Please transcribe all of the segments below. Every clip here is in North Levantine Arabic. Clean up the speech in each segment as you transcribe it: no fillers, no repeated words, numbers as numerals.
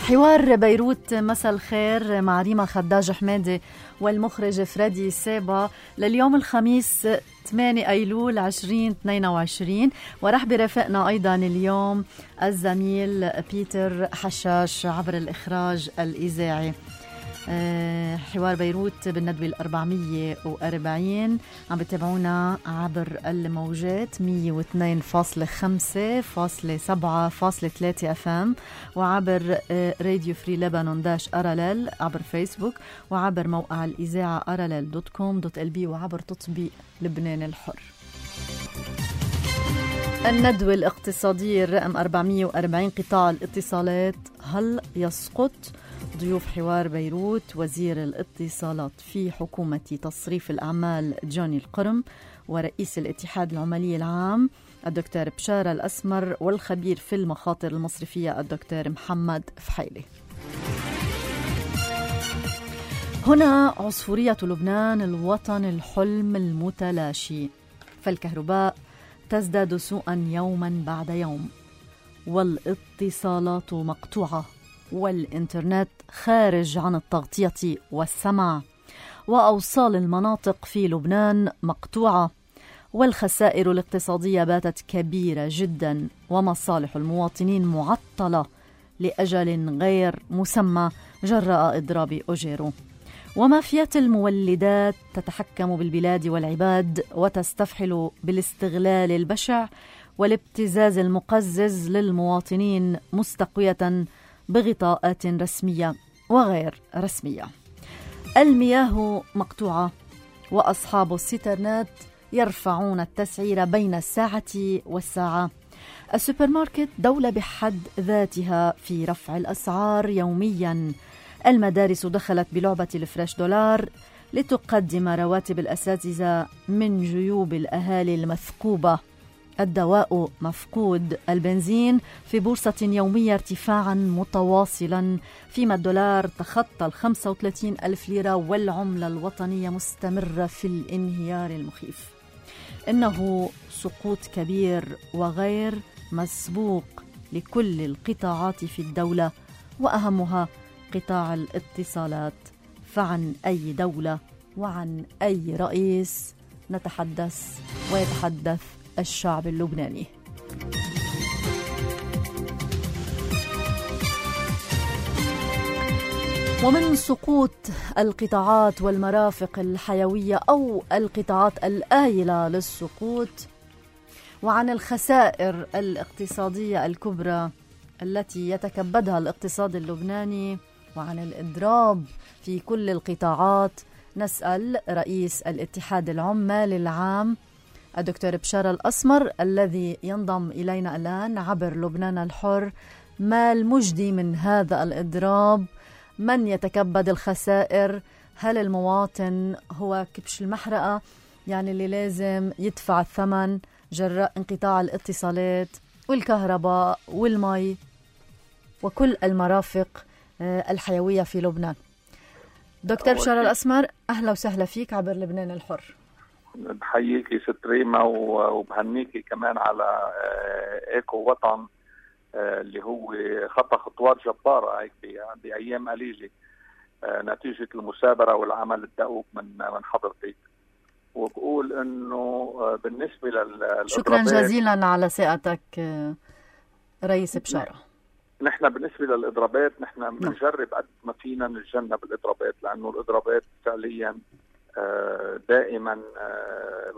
حوار بيروت مساء الخير مع ريما خداج حمادي والمخرج فريدي سابا لليوم الخميس 8 أيلول 2022. ورح برافقنا أيضا اليوم الزميل بيتر حشاش عبر الإخراج الإذاعي. حوار بيروت بالندوة 440 عم بتابعونا عبر الموجات 102.5 /7.3 FM وعبر راديو فري لبنان داش أراليل عبر فيسبوك وعبر موقع الإذاعة aralel.com.lb وعبر تطبيق لبنان الحر. الندوة الاقتصادية الرقم 440 قطاع الاتصالات هل يسقط؟ ضيوف حوار بيروت وزير الاتصالات في حكومة تصريف الأعمال جوني القرم ورئيس الاتحاد العمالي العام الدكتور بشارة الأسمر والخبير في المخاطر المصرفية الدكتور محمد فحيلي. هنا عصفورية لبنان الوطن الحلم المتلاشي، فالكهرباء تزداد سوءا يوما بعد يوم، والاتصالات مقطوعة، والإنترنت خارج عن التغطية والسمع، وأوصال المناطق في لبنان مقطوعة، والخسائر الاقتصادية باتت كبيرة جدا، ومصالح المواطنين معطلة لأجل غير مسمى جراء إضراب أوجيرو، ومافيات المولدات تتحكم بالبلاد والعباد وتستفحل بالاستغلال البشع والابتزاز المقزز للمواطنين مستقوية بغطاءات رسمية وغير رسمية. المياه مقطوعة، وأصحاب السيترنات يرفعون التسعير بين الساعة والساعة. السوبر ماركت دولة بحد ذاتها في رفع الأسعار يوميا. المدارس دخلت بلعبة الفريش دولار لتقدم رواتب الأساتذة من جيوب الأهالي المثقوبة. الدواء مفقود. البنزين في بورصة يومية ارتفاعا متواصلا، فيما الدولار تخطى 35 ألف ليرة، والعملة الوطنية مستمرة في الانهيار المخيف. إنه سقوط كبير وغير مسبوق لكل القطاعات في الدولة، وأهمها قطاع الاتصالات. فعن أي دولة وعن أي رئيس نتحدث ويتحدث الشعب اللبناني؟ ومن سقوط القطاعات والمرافق الحيوية أو القطاعات الآيلة للسقوط، وعن الخسائر الاقتصادية الكبرى التي يتكبدها الاقتصاد اللبناني، وعن الإضراب في كل القطاعات، نسأل رئيس الاتحاد العمالي العام الدكتور بشارة الأسمر الذي ينضم إلينا الآن عبر لبنان الحر. ما المجدي من هذا الإضراب؟ من يتكبد الخسائر؟ هل المواطن هو كبش المحرقة، يعني اللي لازم يدفع الثمن جراء انقطاع الاتصالات والكهرباء والمي وكل المرافق الحيوية في لبنان؟ دكتور بشارة الأسمر، أهلا وسهلا فيك عبر لبنان الحر. بحييكي ست ريما وبهنيكي كمان على ايكو وطن اللي هو خطى خطوات جبارة هيك بأيام قليلة نتيجة المثابرة والعمل الدؤوب من حضرتك. وبقول انه بالنسبة شكرا جزيلا على ثقتك رئيس بشارة. نحن بالنسبة للإضرابات نحن بنجرب قد ما فينا نتجنب الإضرابات، لأنه الإضرابات فعليا دائما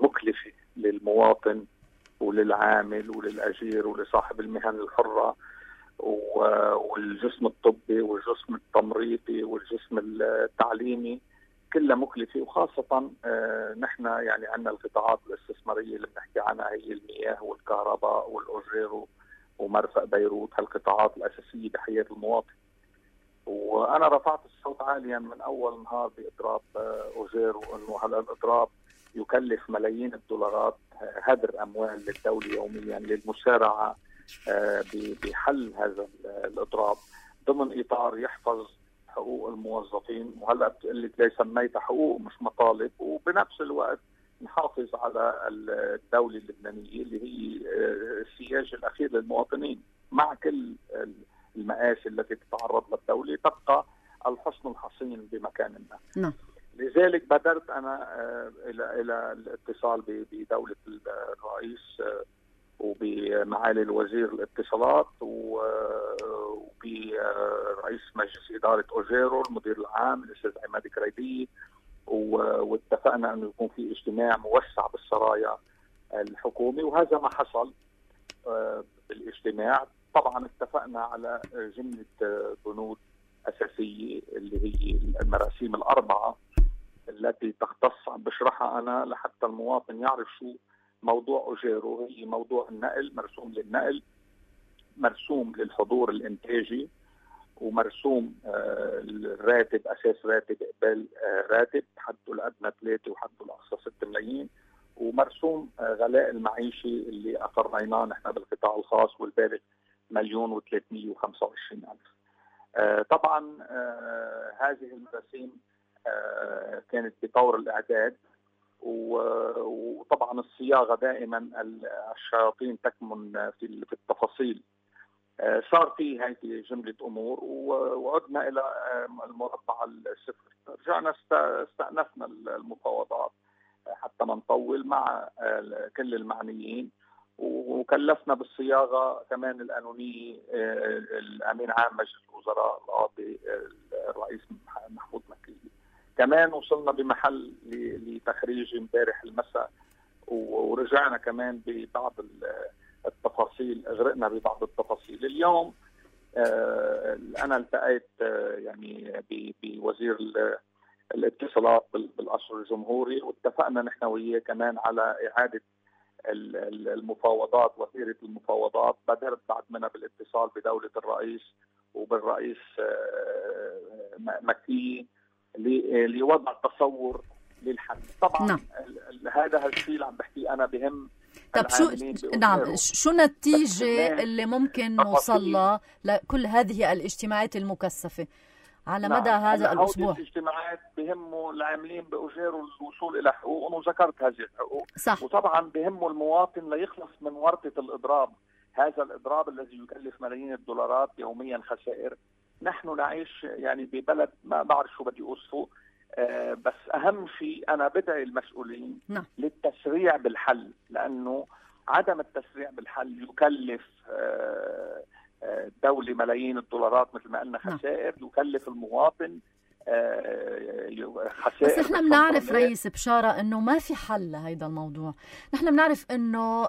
مكلفة للمواطن وللعامل وللأجير ولصاحب المهن الحرة والجسم الطبي والجسم التمريضي والجسم التعليمي، كلها مكلفة. وخاصة نحن يعني عندنا القطاعات الاستثمارية اللي بنحكي عنها هي المياه والكهرباء والأوجيرو ومرفق بيروت، هالقطاعات الأساسية بحياة المواطن. وأنا رفعت الصوت عاليا من أول نهار بإضراب أوجيرو، أنه هذا الإضراب يكلف ملايين الدولارات، هدر أموال للدولة يوميا للمسارعة بحل هذا الإضراب ضمن إطار يحفظ حقوق الموظفين. وهلأ بتقلك ليس سميتها حقوق مش مطالب، وبنفس الوقت نحافظ على الدولة اللبنانية اللي هي السياج الأخير للمواطنين، مع كل المآسي التي تتعرض للدولة، تبقى الحصن الحصين بمكان ما. نعم. لذلك بادرت أنا إلى الاتصال بدولة الرئيس وبمعالي الوزير الاتصالات وبرئيس مجلس إدارة أوجيرو، المدير العام الأستاذ عماد كريدي، واتفقنا أنه يكون في اجتماع موسع بالسرايا الحكومي، وهذا ما حصل بالاجتماع. طبعا اتفقنا على جملة بنود أساسية اللي هي المراسيم الأربعة التي تختص عم بشرحها أنا لحتى المواطن يعرف شو موضوع أوجيرو. هي موضوع النقل، مرسوم للنقل، مرسوم للحضور الإنتاجي، ومرسوم الراتب، أساس راتب قبل راتب، حده الأدنى 3 وحده الأقصى 6 ملايين، ومرسوم غلاء المعيشي اللي أقريناه نحن بالقطاع الخاص والبالغ 1,325,000. طبعا هذه المراسيم كانت بطور الإعداد، وطبعا الصياغة دائما الشياطين تكمن في التفاصيل. صار في هذه جملة أمور، وعدنا إلى المربع الصفر. رجعنا استأنفنا المفاوضات حتى ما نطول مع كل المعنيين، وكلفنا بالصياغة كمان القانونية الأمين عام مجلس الوزراء القاضي الرئيس محمود مكي. كمان وصلنا بمحل لتخريج امبارح المساء، ورجعنا كمان ببعض التفاصيل، اغرقنا ببعض التفاصيل. اليوم انا التقيت يعني بوزير الاتصالات بالقصر الجمهوري، واتفقنا نحن وياه كمان على اعاده المفاوضات، وثيره المفاوضات. بدرت بعد منها بالاتصال بدوله الرئيس وبالرئيس مكي لوضع تصور للحل. طبعا نعم. هذا الشيء اللي عم بحكي انا بهم. طب شو النتيجة اللي ممكن نوصل لها لكل هذه الاجتماعات المكثفة على مدى هذا الأسبوع؟ الاجتماعات بهموا العاملين بأوجيرو الوصول إلى حقوق، وذكرت هذه الحقوق. صح. وطبعا بهموا المواطن ليخلص من ورطة الإضراب، هذا الإضراب الذي يكلف ملايين الدولارات يوميا خسائر. نحن نعيش يعني ببلد ما بعرف شو بدي أوصفه، بس أهم شيء أنا بدعي المسؤولين للتسريع بالحل، لأنه عدم التسريع بالحل يكلف الدولة ملايين الدولارات مثل ما قلنا خسائر، يكلف المواطن خسائر. بس احنا بنعرف رئيس بشارة انه ما في حل لهيدا الموضوع. نحن بنعرف انه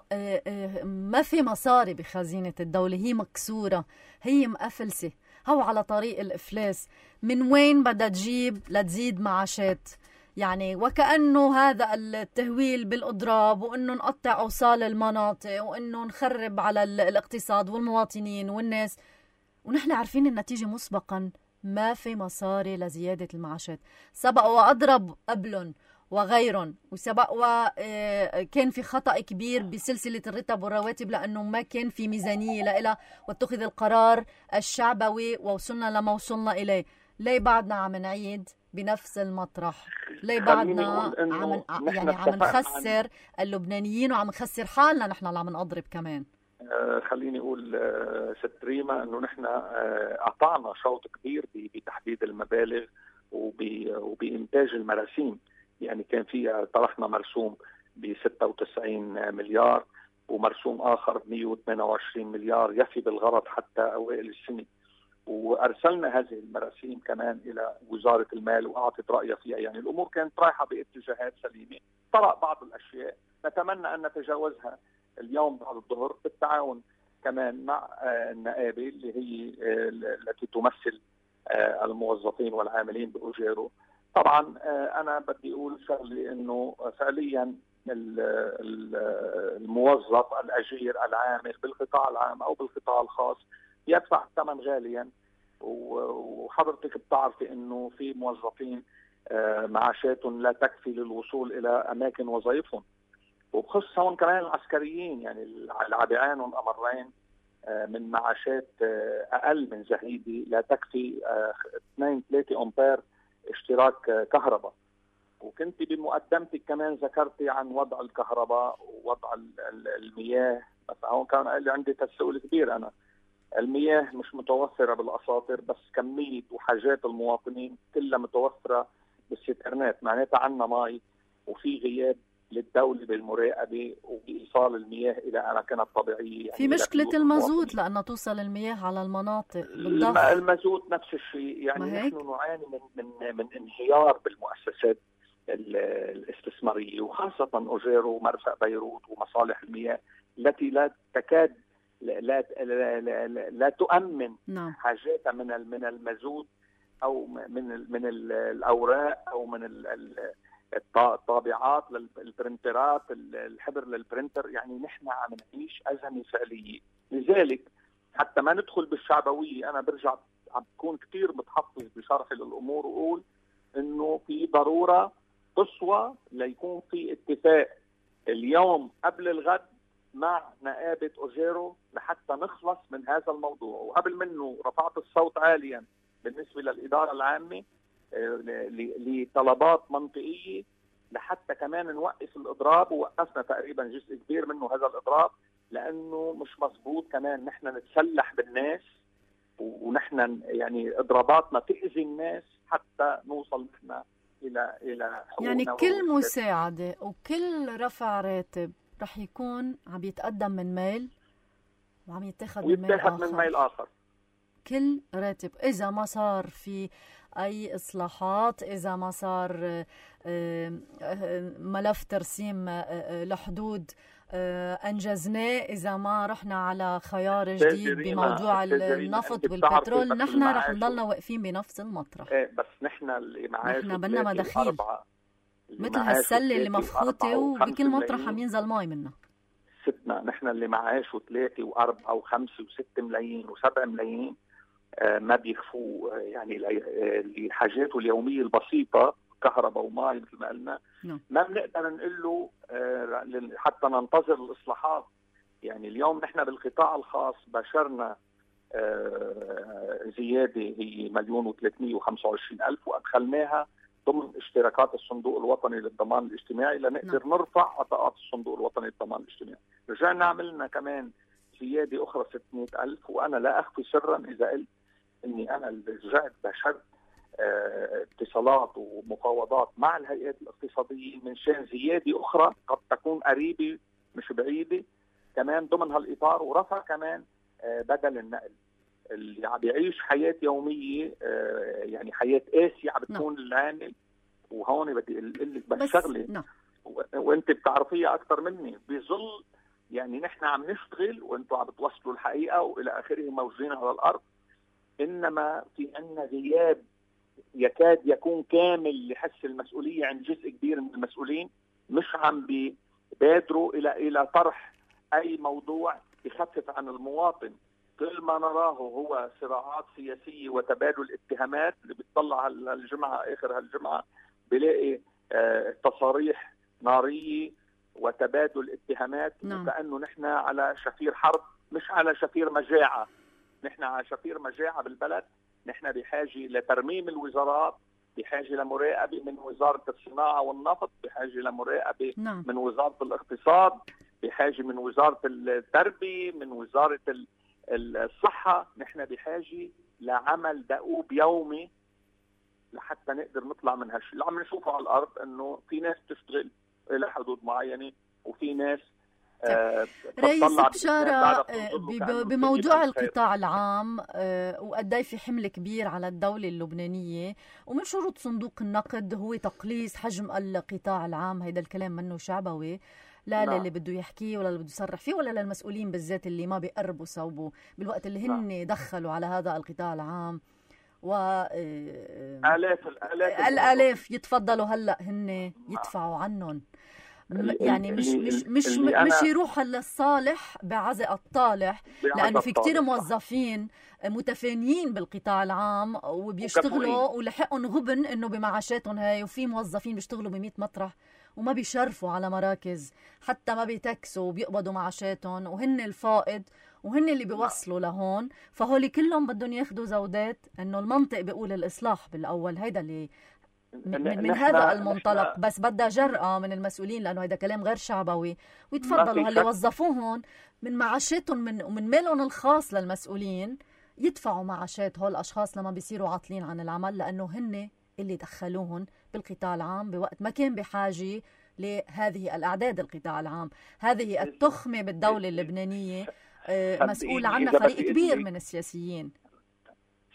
ما في مصاري بخزينة الدولة، هي مكسورة، هي مقفلسة، هو على طريق الإفلاس. من وين بدها تجيب لتزيد معاشات؟ يعني وكأنه هذا التهويل بالإضراب، وإنه نقطع أوصال المناطق، وإنه نخرب على الاقتصاد والمواطنين والناس، ونحن عارفين النتيجة مسبقا. ما في مصاري لزيادة المعاشات. سبق وأضرب قبلهم وغيرهم، وسبق وكان في خطأ كبير بسلسلة الرتب والرواتب لأنه ما كان في ميزانية لإلها، واتخذ القرار الشعبوي ووصلنا لما وصلنا إليه. ليه بعدنا عم نعيد بنفس المطرح؟ ليه بعدنا عم نخسر اللبنانيين وعم نخسر حالنا نحن اللي عم نضرب كمان؟ خليني أقول ست ريما أنه نحن قطعنا شوط كبير بتحديد المبالغ وبإنتاج المراسيم. يعني كان في طرحنا مرسوم ب 96 مليار ومرسوم آخر ب 128 مليار يفي بالغرض حتى أوائل السنة، وأرسلنا هذه المراسيم كمان إلى وزارة المال وأعطت رأيها فيها. يعني الأمور كانت رايحة باتجاهات سليمة. طرأ بعض الأشياء نتمنى أن نتجاوزها اليوم بعد الظهر بالتعاون كمان مع النقابة اللي هي التي تمثل الموظفين والعاملين بأوجيرو. طبعا أنا بدي أقول شغلي أنه فعليا الموظف الأجير العامل بالقطاع العام أو بالقطاع الخاص يدفع الثمن غاليا، وحضرتك بتعرفي أنه في موظفين معاشاتهم لا تكفي للوصول إلى أماكن وظائفهم، وبخص هون كمان العسكريين. يعني العابعين والأمرين من معاشات أقل من زهيدي لا تكفي 2-3 أمبير اشتراك كهرباء. وكنت بمقدمتك كمان ذكرتي عن وضع الكهرباء ووضع المياه، بس هون كان قال لي عندي تساؤل كبير. أنا المياه مش متوفرة بالأساطر، بس كمية وحاجات المواطنين كلها متوفرة بالسترنات، معناتها عنا مي وفي غياب للدولة بالمراقبة وبإيصال المياه إلى أماكنها الطبيعية. يعني في مشكلة المازوت لأنه توصل المياه على المناطق بالضخ. المازوت نفس الشيء، يعني نحن نعاني من انهيار بالمؤسسات الاستثمارية، وخاصة أوجيرو ومرفأ بيروت ومصالح المياه التي لا تكاد لا تؤمن حاجاتها من المازوت أو من الأوراق أو من الطابعات للبرنترات، الحبر للبرنتر. يعني نحن عم نعيش أزمة فعلية. لذلك حتى ما ندخل بالشعبوية، أنا برجع عم بكون كتير متحفظ بشرحي للأمور وأقول إنه في ضرورة قصوى ليكون في اتفاق اليوم قبل الغد مع نقابة أوجيرو لحتى نخلص من هذا الموضوع. وقبل منه رفعت الصوت عاليا بالنسبة للإدارة العامة لطلبات منطقية لحتى كمان نوقف الإضراب، ووقفنا تقريبا جزء كبير منه هذا الإضراب، لأنه مش مظبوط كمان نحن نتسلح بالناس ونحن يعني إضراباتنا تأذي الناس حتى نوصل نحن إلى حقوقنا. يعني كل مساعدة وكل رفع راتب رح يكون عم يتقدم من ميل وعم يتاخد من ميل آخر. كل راتب إذا ما صار في أي إصلاحات، إذا ما صار ملف ترسيم لحدود أنجزناه، إذا ما رحنا على خيار جديد بموضوع النفط والبترول، نحن رح نضلنا واقفين بنفس المطرح. بس نحن اللي معاش نحن بدنا مداخيل مثل هالسلة اللي مفخوطة وبكل مطرح عم ينزل ماي منها. ستنا نحن اللي معاشه 3 و4 و5 و6 ملايين و7 ملايين ما بيكفوا يعني لحاجاته اليومية البسيطة، كهرباء وماء مثل ما قلنا. ما بنقدر نقول له حتى ننتظر الإصلاحات. يعني اليوم نحن بالقطاع الخاص بشرنا زيادة هي 1,325,000 وأدخلناها ضمن اشتراكات الصندوق الوطني للضمان الاجتماعي لنقدر نرفع عطاءات الصندوق الوطني للضمان الاجتماعي. رجعنا عملنا كمان زيادة أخرى 600,000، وأنا لا أخفي سرا إذا قلت إني أنا اللي رجعت بشرت اتصالات ومفاوضات مع الهيئات الاقتصادية من شان زيادة أخرى قد تكون قريبة مش بعيدة كمان ضمن هالإطار، ورفع كمان بدل النقل. اللي عم يعيش حياة يومية يعني حياة قاسية عم بتكون العامل. وهون بدي أقول لك بس شغلة وأنت بتعرفيها أكثر مني، بظل يعني نحن عم نشتغل وأنتم عم بتوصلوا الحقيقة وإلى آخره موجودين على الأرض، إنما في عنا غياب يكاد يكون كامل لحس المسؤولية عند جزء كبير من المسؤولين. مش عم بيبادروا إلى طرح أي موضوع يخفف عن المواطن. كل ما نراه هو صراعات سياسية وتبادل اتهامات. اللي بيطلع هالجمعة آخر هالجمعة بلاقي تصاريح نارية وتبادل اتهامات، وكأنه نحن على شفير حرب مش على شفير مجاعة. نحن على شفير مجاعة بالبلد. نحن بحاجة لترميم الوزارات، بحاجة لمراقبة من وزارة الصناعة والنفط، بحاجة لمراقبة من وزارة الاقتصاد، بحاجة من وزارة التربية، من وزارة الصحة. نحن بحاجة لعمل دؤوب يومي لحتى نقدر نطلع من هالشيء اللي عم نشوفه على الأرض، إنه في ناس تشتغل إلى حدود معينة وفي ناس رئيس بشارة بموضوع القطاع العام وقداي في حمل كبير على الدولة اللبنانية، ومن شروط صندوق النقد هو تقليص حجم القطاع العام. هيدا الكلام منه شعبوي، لا اللي بده يحكيه ولا اللي بده يصرح فيه ولا للمسؤولين بالذات اللي ما بيقربوا صوبه بالوقت اللي هن دخلوا على هذا القطاع العام الآلاف يتفضلوا هلا هن يدفعوا عنهم. يعني مش يروح للصالح بعزق الطالح، لأنه في كتير موظفين متفانيين بالقطاع العام وبيشتغلوا ولحقهم غبن إنه بمعاشاتهم هاي، وفي موظفين بيشتغلوا ب100 مطرح وما بيشرفوا على مراكز، حتى ما بيتكسوا وبيقبضوا معاشاتهم، وهن الفائض وهن اللي بيوصلوا لهون. فهولي كلهم بدهم ياخدوا زودات. إنه المنطق بيقول الإصلاح بالأول، هيدا اللي من هذا المنطلق. بس بدها جرأة من المسؤولين، لأنه هذا كلام غير شعبوي، ويتفضلوا هاللي وظفوهم من معاشاتهم ومن مالهم الخاص للمسؤولين يدفعوا معاشات هول الأشخاص لما بيصيروا عاطلين عن العمل، لأنه هن اللي دخلوهم بالقطاع العام بوقت ما كان بحاجة لهذه الأعداد. القطاع العام هذه التخمة بالدولة اللبنانية مسؤول عنها فريق كبير من السياسيين.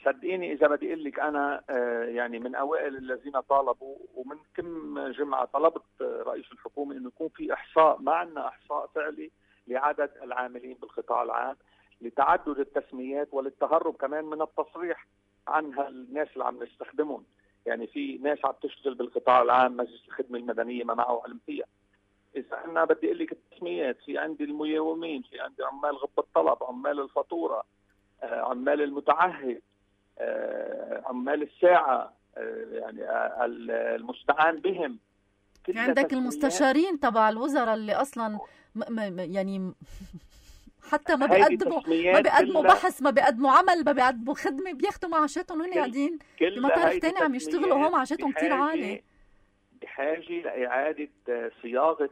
صدقيني إذا بدي أقول لك أنا يعني من أوائل الذين طالبوا، ومن كم جمعة طلبت رئيس الحكومة إنه يكون في إحصاء، ما عندنا إحصاء فعلي لعدد العاملين بالقطاع العام، لتعدد التسميات وللتهرب كمان من التصريح عن هالناس اللي عم نستخدمهم. يعني في ناس عم تشتغل بالقطاع العام مجلس الخدمة المدنية ما معه علم فيها. إذا أنا بدي أقول لك التسميات، في عندي الميومين، في عندي عمال غب الطلب، عمال الفاتورة، عمال المتعهد، عمال الساعة، يعني المستعان بهم. عندك المستشارين تبع الوزراء اللي أصلا يعني حتى ما بيقدموا بحث، ما بيقدموا عمل، ما بيقدموا خدمة، بياخدوا معاشاتهم وهن قاعدين بمطارح تاني عم يشتغلوا، وهم معاشاتهم كتير عالية. بحاجة لإعادة صياغة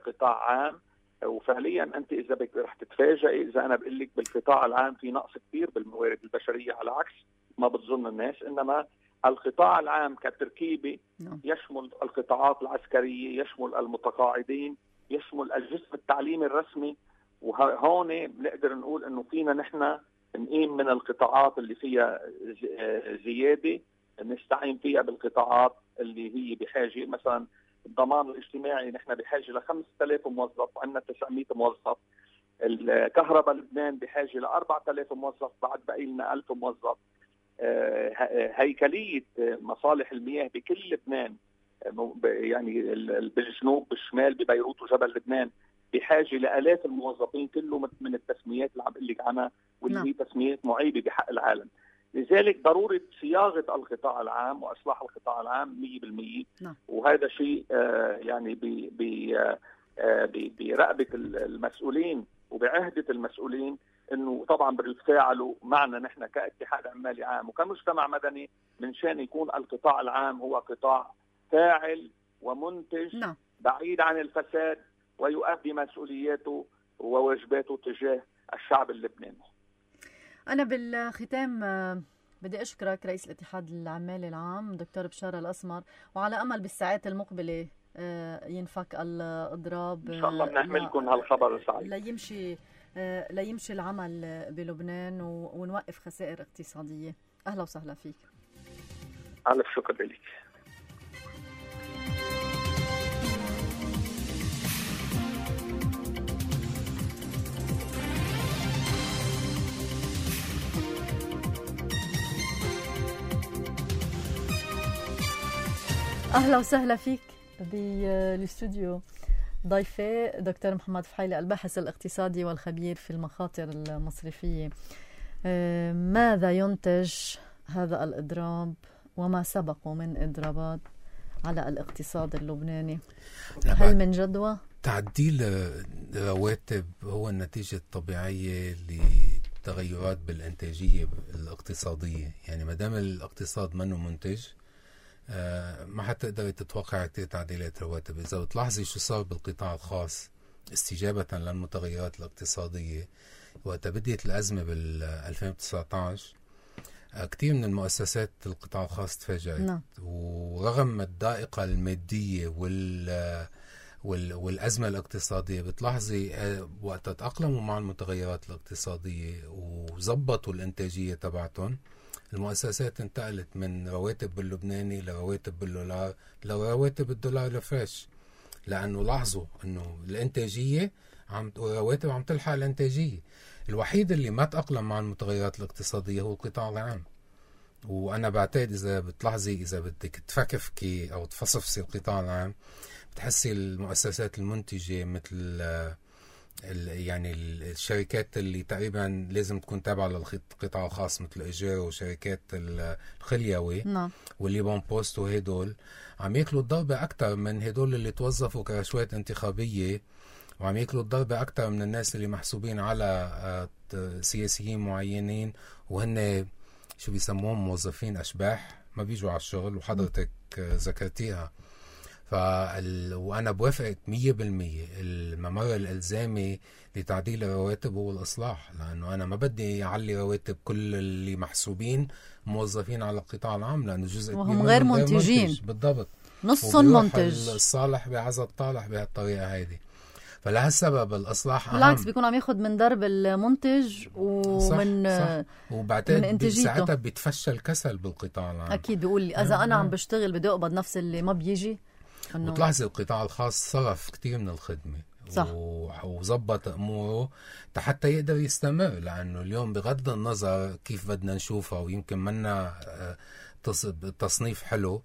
قطاع عام. وفعليا أنت إذا بدك رح تتفاجئي إذا أنا بقول لك بالقطاع العام في نقص كبير بالموارد البشرية، على عكس ما بتظن الناس. إنما القطاع العام كتركيبة يشمل القطاعات العسكرية، يشمل المتقاعدين، يشمل الجسم التعليمي الرسمي. وهون بنقدر نقول إنه فينا نحن نقيم من القطاعات اللي فيها زيادة، نستعين فيها بالقطاعات اللي هي بحاجة. مثلا الضمان الاجتماعي نحن بحاجة ل 5000 موظف، عندنا 900 موظف. الكهرباء لبنان بحاجة ل 4000 موظف، بعد بقي لنا 1000 موظف. هيكلية مصالح المياه بكل لبنان، يعني بالجنوب بالشمال ببيروت وجبل لبنان، بحاجة لآلاف الموظفين، كله من التسميات اللي عم بقول لك عنها، واللي هي تسميات معيبة بحق العالم. لذلك ضرورة صياغة القطاع العام وإصلاح القطاع العام 100%. وهذا شيء يعني برقبة المسؤولين وبعهدة المسؤولين، انه طبعا بيتفاعلوا معنا نحن كاتحاد عمالي عام وكمجتمع مدني، من شان يكون القطاع العام هو قطاع فاعل ومنتج بعيد عن الفساد، ويؤدي مسؤولياته وواجباته تجاه الشعب اللبناني. أنا بالختام بدي أشكرك رئيس الاتحاد العمالي العام دكتور بشار الأسمر، وعلى أمل بالساعات المقبلة ينفك الإضراب إن شاء الله بنحملكم هالخبر السعيد لا يمشي العمل بلبنان ونوقف خسائر اقتصادية. أهلا وسهلا فيك. ألف شكر لك. أهلا وسهلا فيك بالاستوديو. ضيفي دكتور محمد فحيلي الباحث الاقتصادي والخبير في المخاطر المصرفية. ماذا ينتج هذا الإضراب وما سبقه من إضرابات على الاقتصاد اللبناني؟ هل من جدوى؟ تعديل رواتب هو النتيجة الطبيعية لتغيرات بالإنتاجية الاقتصادية. يعني ما دام الاقتصاد منه منتج ما حتقدر تتوقع كتير تعديلات رواتب. إذا بتلاحظي شو صار بالقطاع الخاص استجابة للمتغيرات الاقتصادية وقت بديت الأزمة بال 2019، كتير من المؤسسات القطاع الخاص تفاجأت. ورغم الضائقة المادية والأزمة الاقتصادية، بتلاحظي وقت تأقلموا مع المتغيرات الاقتصادية وزبطوا الإنتاجية تبعتهم، المؤسسات انتقلت من رواتب باللبناني لرواتب بالدولار لرواتب الدولار الفريش، لأنه لاحظوا أنه الإنتاجية رواتب عم تلحق الإنتاجية. الوحيد اللي ما تأقلم مع المتغيرات الاقتصادية هو القطاع العام. وأنا بعتقد إذا بتلاحظي، إذا بدك تفكفكي أو تفصفصي القطاع العام، بتحسي المؤسسات المنتجة مثل يعني الشركات اللي تقريبا لازم تكون تابعة للقطاع الخاص، مثل إيجار وشركات الخليوي والليبون بوست، وهدول عم ياكلوا الضربة أكتر من هدول اللي توظفوا كرشوات انتخابية، وعم ياكلوا الضربة أكتر من الناس اللي محسوبين على سياسيين معينين، وهن شو بيسموهم موظفين أشباح ما بيجوا على الشغل. وحضرتك ذكرتيها. وأنا بوافقك 100%. الممر الإلزامي لتعديل الرواتب هو الإصلاح، لأنه أنا ما بدي أعلي رواتب كل اللي محسوبين موظفين على القطاع العام، لأنه جزء وهم غير منتجين. بالضبط، نص منتج. الصالح بعز الطالح بهالطريقة هيدي. فلهالسبب الإصلاح أهم. بالعكس بيكون عم ياخد من درب المنتج ومن صح. وبعدين ساعتها بيتفشل الكسل بالقطاع العام. أكيد بيقول لي إذا أنا عم بشتغل بدي أقبض نفس اللي ما بيجي. وتلاحظي القطاع الخاص صرف كتير من الخدمة وظبط أموره حتى يقدر يستمر، لأنه اليوم بغض النظر كيف بدنا نشوفها ويمكن منا تصنيف حلو،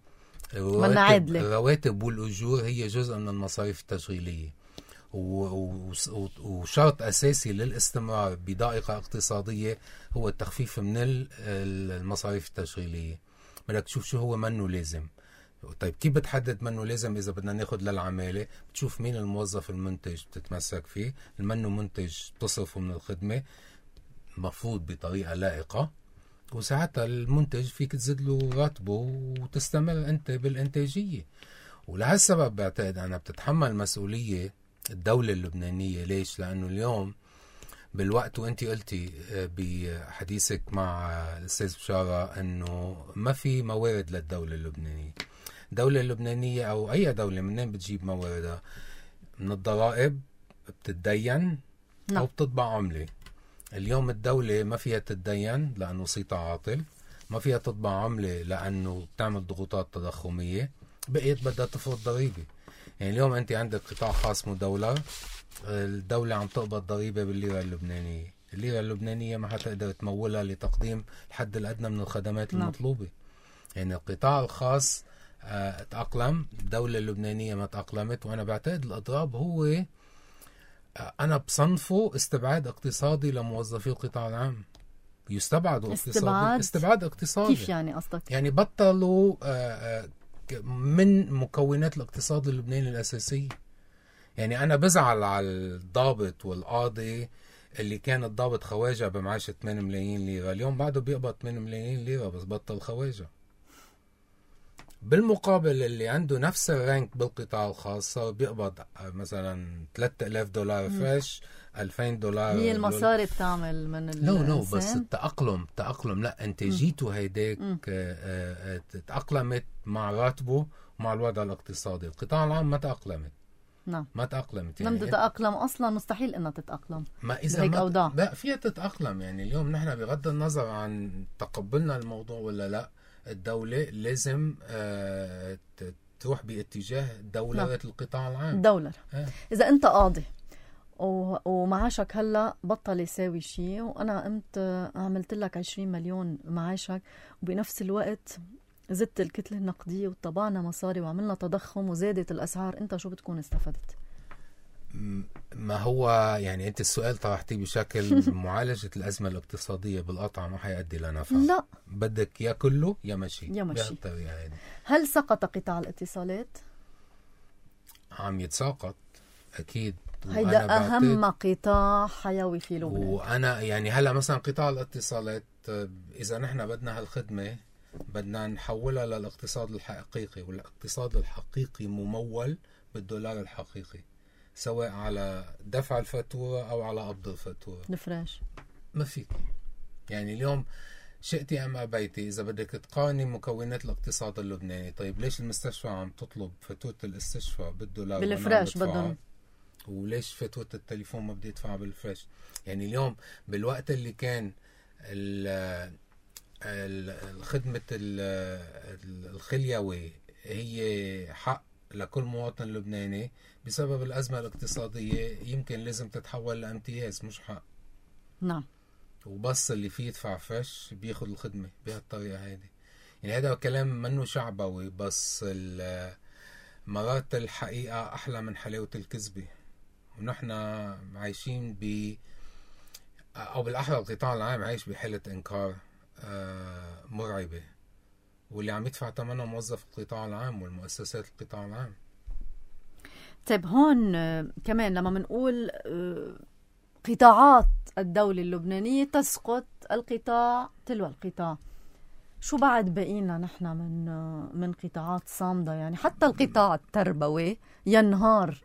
الرواتب والأجور هي جزء من المصاريف التشغيلية، وشرط أساسي للاستمرار بضائقة اقتصادية هو التخفيف من المصاريف التشغيلية. بدك تشوف شو هو منه لازم. طيب كيف بتحدد منه لازم؟ إذا بدنا ناخد للعمالة بتشوف مين الموظف المنتج بتتمسك فيه، المنه منتج تصرفه من الخدمة مفروض بطريقة لائقة، وساعتها المنتج فيك تزيد له راتبه وتستمر أنت بالإنتاجية. ولهالسبب بعتقد أنا بتتحمل مسؤولية الدولة اللبنانية. ليش؟ لأنه اليوم بالوقت وانتي قلتي بحديثك مع الأستاذ بشارة أنه ما في موارد للدولة اللبنانية. الدولة اللبنانية أو أي دولة منين بتجيب مواردها؟ من الضرائب، بتتدين أو بتطبع عملة. اليوم الدولة ما فيها تتدين لأنه صيتها عاطل، ما فيها تطبع عملة لأنه بتعمل ضغوطات تضخمية، بقيت بدها تفرض ضريبة. يعني اليوم أنت عندك قطاع خاص مدولر، الدولة عم تقبض ضريبة بالليرة اللبنانية، الليرة اللبنانية ما حتقدر تمولها لتقديم الحد الأدنى من الخدمات المطلوبة. يعني القطاع الخاص تأقلم، الدولة اللبنانية ما تأقلمت. وأنا بعتقد الأضراب هو أنا بصنفه استبعاد اقتصادي لموظفي القطاع العام. يستبعدوا استبعاد اقتصادي. كيف يعني قصدك؟ يعني بطلوا من مكونات الاقتصاد اللبناني الأساسية. يعني أنا بزعل على الضابط والقاضي اللي كان الضابط خواجة بمعاشة 8 ملايين ليرة، اليوم بعده بيقبض 8 ملايين ليرة بس بطل خواجة. بالمقابل اللي عنده نفس الرانك بالقطاع الخاص بيقبض مثلا $3000 فريش، $2000. هي المصاري بتعمل من لا بس التأقلم لا انتاجيته هيداك تأقلمت مع راتبه ومع الوضع الاقتصادي. القطاع العام ما تأقلمت. نعم ما تأقلمت. يعني لم تتأقلم أصلا، مستحيل إنها تتأقلم. ما إذا لا فيها تتأقلم. يعني اليوم نحن بغض النظر عن تقبلنا الموضوع ولا لا، الدولة لازم تروح باتجاه دولة القطاع العام. دولة. إذا أنت قاضي ومعاشك هلا بطل يساوي شيء، وأنا قمت عملت لك 20 مليون معاشك، وبنفس الوقت زدت الكتلة النقدية وطبعنا مصاري وعملنا تضخم وزادت الأسعار، أنت شو بتكون استفدت؟ ما هو يعني أنت السؤال طرحتيه بشكل معالجة الأزمة الاقتصادية بالقطع ما حيؤدي لنفع. لا، بدك يا كله يا مشي. يعني. هل سقط قطاع الاتصالات؟ عم يتساقط أكيد. هيدا أهم قطاع حيوي في لبنان. وأنا يعني هلا مثلا قطاع الاتصالات إذا نحن بدنا هالخدمة بدنا نحولها للاقتصاد الحقيقي، والاقتصاد الحقيقي ممول بالدولار الحقيقي، سواء على دفع الفاتورة أو على قبض الفاتورة. الفراش ما فيك. يعني اليوم شئتي أم أبيتي إذا بدك تقارني مكونات الاقتصاد اللبناني، طيب ليش المستشفى عم تطلب فاتورة الاستشفاء بالدولار بالفراش بدهم، وليش فاتورة التليفون ما بدي يدفع بالفراش؟ يعني اليوم بالوقت اللي كان الخدمة الخليوي هي حق لكل مواطن لبناني، بسبب الأزمة الاقتصادية يمكن لازم تتحول لامتياز مش حق. نعم. وبس اللي فيه يدفع فش بياخد الخدمة بهالطريقة هذه. يعني هذا كلام منه شعبوي، بس مرات الحقيقة أحلى من حلاوة الكذبة، ونحن عايشين أو بالأحرى القطاع العام عايش بحالة إنكار مرعبة، واللي عم يدفع ثمنها موظف القطاع العام والمؤسسات القطاع العام. طيب هون كمان لما منقول قطاعات الدولة اللبنانية تسقط القطاع تلو القطاع، شو بعد بقينا نحن من قطاعات صامدة؟ يعني حتى القطاع التربوي ينهار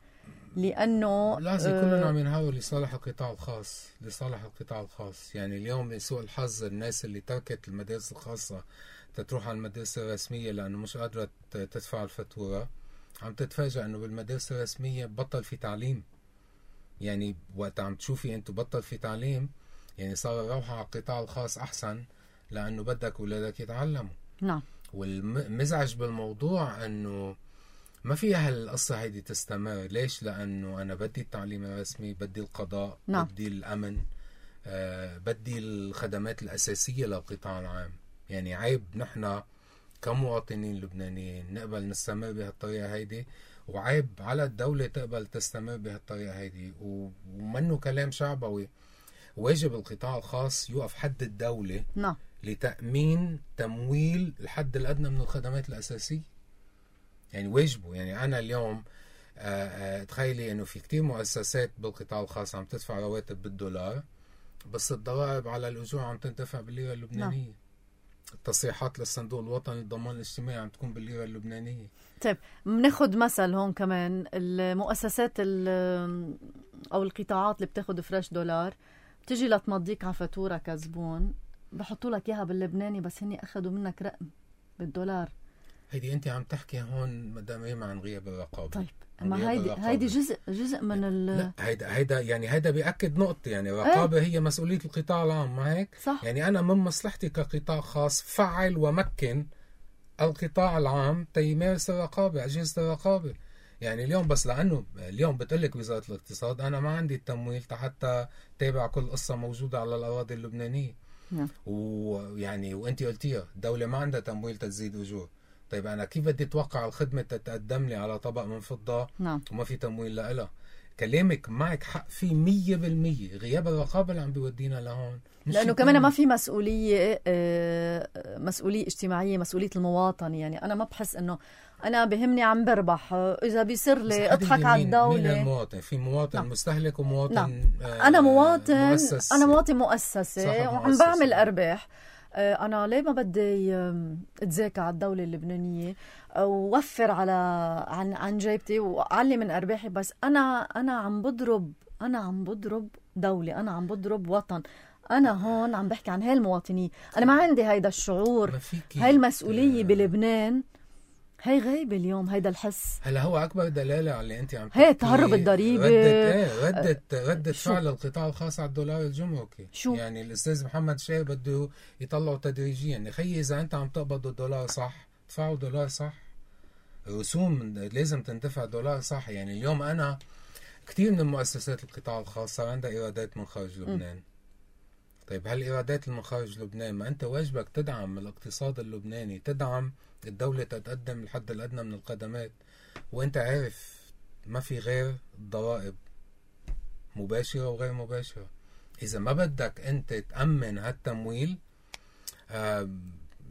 لأنه لازم كلنا عم ينهاروا لصالح القطاع الخاص، لصالح القطاع الخاص. يعني اليوم لسوء الحظ الناس اللي تركت المدارس الخاصة تروح على المدارس الرسمية لأنه مش قادرة تدفع الفاتورة، عم تتفاجأ أنه بالمدارس الرسمية بطل في تعليم. يعني وقت عم تشوفي أنتو بطل في تعليم، يعني صار الروحة على القطاع الخاص أحسن لأنه بدك أولادك يتعلموا. نعم. والمزعج بالموضوع أنه ما فيها هالقصة هيدي تستمر. ليش؟ لأنه أنا بدي التعليم الرسمي، بدي القضاء، نعم. بدي الأمن، بدي الخدمات الأساسية للقطاع العام. يعني عيب نحن كمواطنين لبنانيين نقبل نستمر بهالطريقة هيدي، وعيب على الدولة تقبل تستمر بهالطريقة هيدي. ومنه كلام شعبوي. واجب القطاع الخاص يوقف حد الدولة نعم. لتأمين تمويل الحد الأدنى من الخدمات الأساسية. يعني واجبه. يعني أنا اليوم تخيلي أنه في كتير مؤسسات بالقطاع الخاص عم تدفع رواتب بالدولار، بس الضرائب على الأجور عم تندفع بالليرة اللبنانية. نعم. التصريحات للصندوق الوطني للضمان الاجتماعي عم تكون بالليرة اللبنانية. طيب بناخد مثل هون كمان، المؤسسات أو القطاعات اللي بتاخد فريش دولار بتجي لتمضيك على فاتورة كزبون، بحطوا لك إياها باللبناني بس هني أخدوا منك رقم بالدولار. هيدي أنت عم تحكي هون مدام ريما عن غياب الرقابة. طيب ما هيدي جزء من لا هيدا بيأكد نقطة. يعني الرقابة هي مسؤولية القطاع العام، ما هيك؟ صح. يعني أنا من مصلحتي كقطاع خاص فعل ومكن القطاع العام تيمارس الرقابة، أجهزة الرقابة. يعني اليوم بس لأنه اليوم بتقلك وزارة الاقتصاد أنا ما عندي التمويل حتى تابع كل قصة موجودة على الأراضي اللبنانية. ويعني وأنت قلتيها الدولة ما عندها تمويل تزيد أجور. طيب أنا كيف بدي أتوقع الخدمة تتقدم لي على طبق من فضة؟ نعم. وما في تمويل لها؟ كلامك معك حق فيه 100%. غياب الرقابة اللي عم بيودينا لهون، لأنه كمان ما في مسؤولية اجتماعية، مسؤولية المواطن. يعني أنا ما بحس إنه أنا بهمني عم بربح، إذا بيصير لي أضحك على الدولة. مين المواطن؟ في مواطن نعم. مستهلك ومواطن نعم. أنا مواطن أنا مواطن مؤسسة وعم بعمل أرباح. أنا ليه ما بدي أتذاكى على الدولة اللبنانية ووفر عن جيبتي وأعلي من أرباحي؟ بس أنا عم بضرب دولة، أنا عم بضرب وطن. أنا هون عم بحكي عن هالمواطنين. أنا ما عندي هيدا الشعور، هاي المسؤولية بلبنان هي غايبة اليوم. هيدا الحس هلا هو أكبر دلالة على اللي أنت عم تحكي. هي تهرب الضريبة، ردة فعل القطاع الخاص على الدولار الجمركي. يعني الأستاذ محمد شاهر بده يطلعوا تدريجيا. يعني خيي إذا أنت عم تقبض الدولار صح تدفعوا دولار صح، رسوم لازم تندفع دولار صح. يعني اليوم أنا كتير من المؤسسات القطاع الخاص صار عندها إيرادات من خارج لبنان. طيب هالإيرادات من خارج لبنان، ما أنت واجبك تدعم الاقتصاد اللبناني، تدعم الدولة تقدم الحد الأدنى من الخدمات. وأنت عارف ما في غير الضرائب مباشرة وغير مباشرة. إذا ما بدك أنت تأمن هالتمويل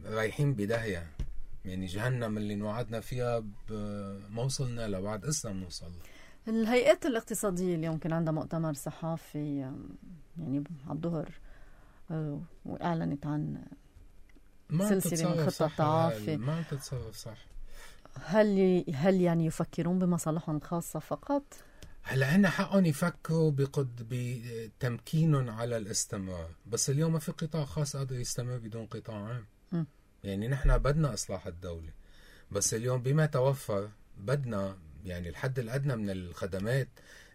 رايحين بداهية. يعني جهنم اللي نوعدنا فيها ما وصلنا له، بعد قصة بنوصل. الهيئات الاقتصادية اليوم كان عندها مؤتمر صحافي يعني على الظهر، وأعلنت عن سلسلة من خطة التعافي. ما تتصرف صح. هل يعني يفكرون بمصالحهم الخاصة فقط؟ هلا هن حقهم يفكروا بتمكينهم على الاستمرار، بس اليوم ما في قطاع خاص قادر يستمر بدون قطاع عام. يعني نحن بدنا إصلاح الدولة، بس اليوم بما توفر بدنا يعني الحد الأدنى من الخدمات.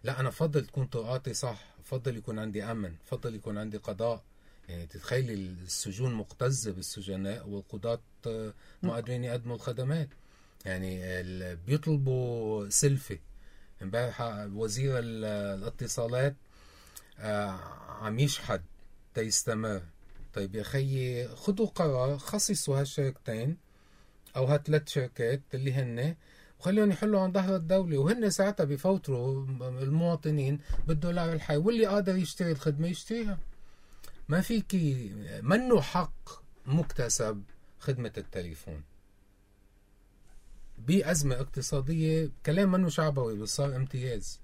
لا أنا فضل تكون طرقاتي صح، فضل يكون عندي أمن، فضل يكون عندي قضاء. يعني تتخيلي السجون مقتزة بالسجناء والقضاة ما قادرين يقدموا الخدمات. يعني بيطلبوا سلفة. امبارح وزير الاتصالات عم يشحد تيستمر. طيب يا خيي خدوا قرار، خصصوا هالشركتين او هالثلاث شركات اللي هن وخليهم يحلوا عن ظهر الدولة، وهن ساعتها بفوتروا المواطنين بالدولار الحي، واللي قادر يشتري الخدمة يشتريها. ما فيكي منه حق مكتسب خدمة التليفون بأزمة اقتصادية. كلام منه شعبوي بس صار امتياز.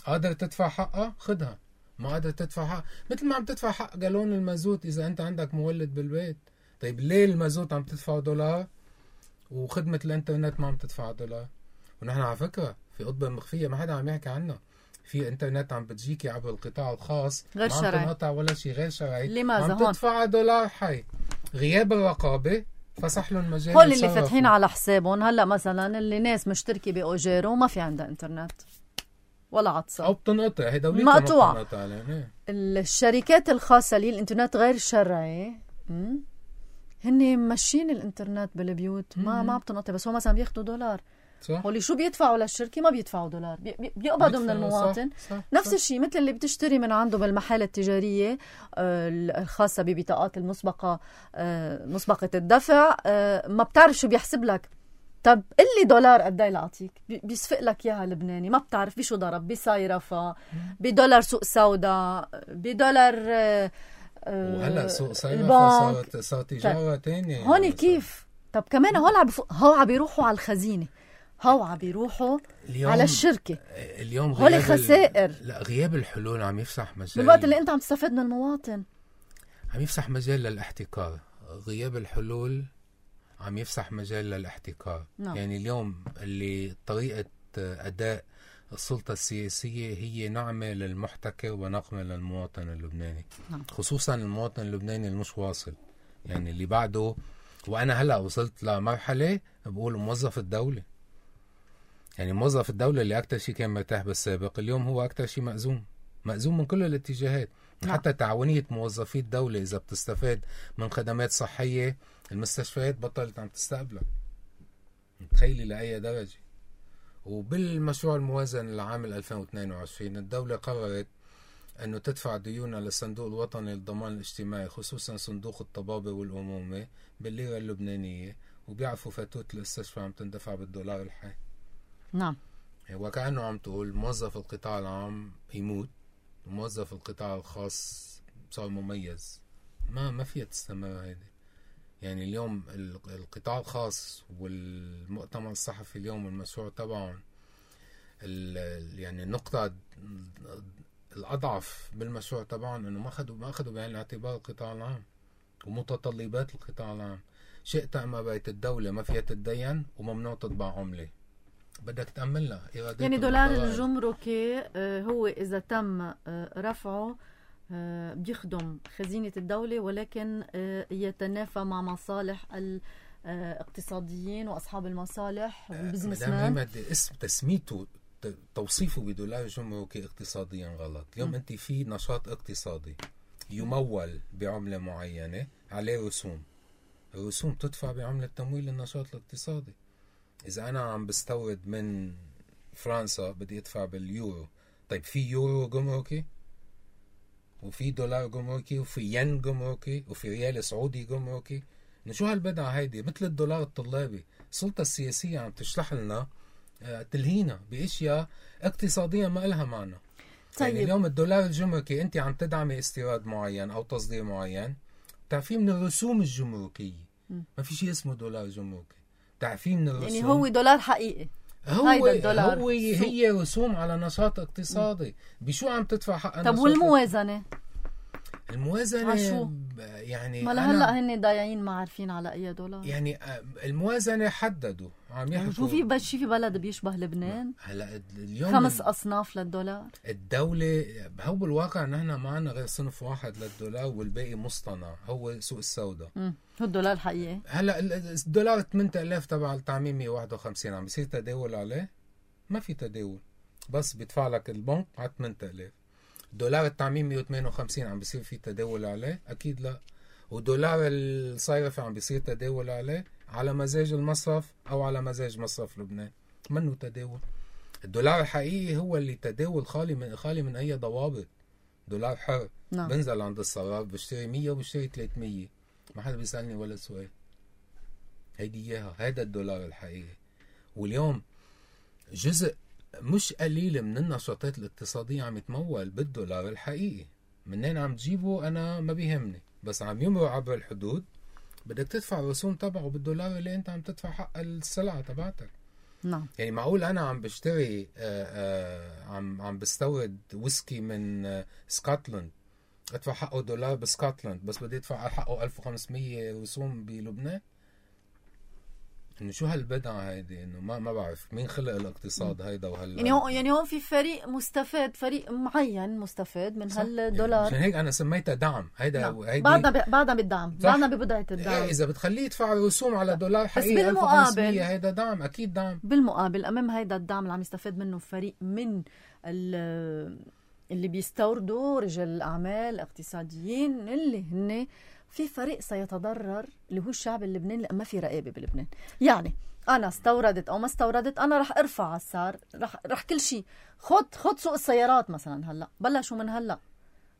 قادر تدفع حقها خدها، ما قادر تدفع حق مثل ما عم تدفع حق جالون المازوت إذا أنت عندك مولد بالبيت. طيب ليه المازوت عم تدفع دولار وخدمة الانترنت ما عم تدفع دولار؟ ونحن على فكرة في قطبة مخفية ما حدا عم يحكي عنها، في انترنت عم بتجيكي عبر القطاع الخاص غير ما عم شرعي. تنقطع ولا شيء غير شرعي. لماذا عم هون؟ تدفع دولار حي. غياب الرقابة فسح لهم مجال. هول اللي فاتحين على حسابهم هلا مثلا اللي ناس مشتركة بأوجيرو وما في عندها انترنت ولا عطسة او بتنقطع، هي دولتها مقطوعة. ما بتنقطع علينا. الشركات الخاصة اللي الانترنت غير شرعي هن ماشيين الانترنت بالبيوت ما بتنقطع، بس هو مثلا بياخدوا دولار. صح. واللي شو بيدفعوا للشركة ما بيدفعوا دولار، بيقبضوا من المواطن. صح. نفس الشيء مثل اللي بتشتري من عنده بالمحال التجارية الخاصة ببطاقات المسبقة مسبقة الدفع، ما بتعرف شو بيحسب لك. طب قلي دولار قد ايه لأعطيك؟ بيسفق لك اياها لبناني، ما بتعرف بشو ضرب، بصيرفة، بدولار سوق سودا، بدولار وهلا سوق صيرفة صار تجارة تانية. هون كيف؟ طب كمان هو عم بيروحوا على الخزينة، هو عم بيروحوا على الشركة. اليوم هول خسائر. لا، غياب الحلول عم يفسح مجال بالوقت اللي انت عم تستفيد من المواطن، عم يفسح مجال للاحتكار. غياب الحلول عم يفسح مجال للاحتكار. نعم. يعني اليوم اللي طريقة أداء السلطة السياسية هي نعمة للمحتكر ونقمة للمواطن اللبناني. نعم. خصوصا المواطن اللبناني المش واصل، يعني اللي بعده. وأنا هلأ وصلت لمرحلة بقول موظف الدولة، يعني موظف الدولة اللي أكتر شيء كان مرتاح بالسابق اليوم هو أكتر شيء مأزوم من كل الاتجاهات. نعم. حتى تعاونية موظفي الدولة إذا بتستفاد من خدمات صحية المستشفيات بطلت عم تستقبلها. تخيلي لأي درجة. وبالمشروع الموازن لعام 2022 الدولة قررت أنه تدفع ديونها للصندوق الوطني للضمان الاجتماعي، خصوصا صندوق الطبابة والأمومة بالليرة اللبنانية، وبيعرفوا فاتورة الاستشفاء عم تندفع بالدولار الحي. نعم. وكأنه عم تقول موظف القطاع العام يموت وموظف القطاع الخاص صار مميز. ما فيها تستمر هيدي. يعني اليوم القطاع الخاص والمؤتمر الصحفي اليوم المشروع تبعهم يعني النقطة الأضعف بالمشروع تبعهم إنه ما أخذوا بعين الاعتبار القطاع العام ومتطلبات القطاع العام. شئت أم أبيت الدولة ما فيها تتدين وممنوع تطبع عملة، بدك تأملها. يعني دولار الجمركي هو إذا تم رفعه بيخدم خزينة الدولة، ولكن يتنافى مع مصالح الاقتصاديين وأصحاب المصالح والبزنسمان. اسم تسميته توصيفه بدولار جمركي اقتصاديا غلط. اليوم أنت في نشاط اقتصادي يمول بعملة معينة عليه رسوم، الرسوم تدفع بعملة تمويل النشاط الاقتصادي. إذا أنا عم بستورد من فرنسا بدي أدفع باليورو، طيب في يورو جمركي وفي دولار جمركي وفي ين جمركي وفي ريال سعودي جمركي. شو هالبدعة هيدي؟ مثل الدولار الطلابي. السلطة السياسية عم تشلح لنا تلهينا بأشياء اقتصاديا ما إلها معنى. طيب. يعني اليوم الدولار الجمركي أنت عم تدعمي استيراد معين أو تصدير معين، تعرفيه من الرسوم الجمركية. ما في شيء اسمه دولار جمركي، تعرفيه من الرسوم. يعني هو دولار حقيقي. هي رسوم على نشاط اقتصادي. بشو عم تدفع حق؟ طب والموازنة؟ الموازنة يعني ما لهلا هن ضايعين ما عارفين على أي دولار. يعني الموازنة حددوا عم يحكوا. شو في بلد بيشبه لبنان؟ هلا اليوم 5 أصناف للدولار. الدولة هو بالواقع نحن ما عنا غير صنف واحد للدولار والباقي مصطنع، هو سوق السوداء. هو الدولار الحقيقي. هلا الدولار 8000 تبع التعميم 151 عم بيصير تداول عليه؟ ما في تداول، بس بيدفع لك البنك على 8000. دولار التعميم 158 عم بيصير في تداول عليه؟ أكيد لا. ودولار الصيرفة عم بيصير تداول عليه على مزاج المصرف أو على مزاج مصرف لبنان، منه تداول. الدولار الحقيقي هو اللي تداول خالي من أي ضوابط. دولار حر. نعم. بنزل عند الصراف بشتري 100 وبشتري 300، ما حدا بيسألني ولا سؤال. هيدي إياها، هيدا الدولار الحقيقي. واليوم جزء مش قليل من النشاطات الاقتصادية عم يتمول بالدولار الحقيقي. منين عم تجيبه أنا ما بيهمني، بس عم يمرق عبر الحدود بدك تدفع الرسوم تبعه بالدولار اللي أنت عم تدفع حق السلعة تبعتك. نعم. يعني معقول أنا عم بشتري عم بستورد ويسكي من سكوتلاند ادفع حقه دولار بسكوتلاند بس بدي ادفع حقه 1500 رسوم بلبنان. انه شو هالبدعة هيدي؟ انه ما بعرف مين خلق الاقتصاد هيدا يعني هون في فريق مستفاد، فريق معين مستفاد من هالدولار. عشان هيك انا سميتها دعم. هيدا بعدنا بالدعم، بعدنا ببداية الدعم. اذا بتخليه يدفع رسوم على دولار حقيقي 1500 هيدا دعم، اكيد دعم. بالمقابل امام هيدا الدعم اللي عم يستفاد منه فريق من اللي بيستوردوا رجال الاعمال الاقتصاديين، اللي هن في فريق سيتضرر اللي هو الشعب اللبناني، لأن ما في رقابة بلبنان. يعني أنا استوردت أو ما استوردت أنا رح أرفع السعر، رح كل شيء. خد سوق السيارات مثلا، هلا بلشوا من هلا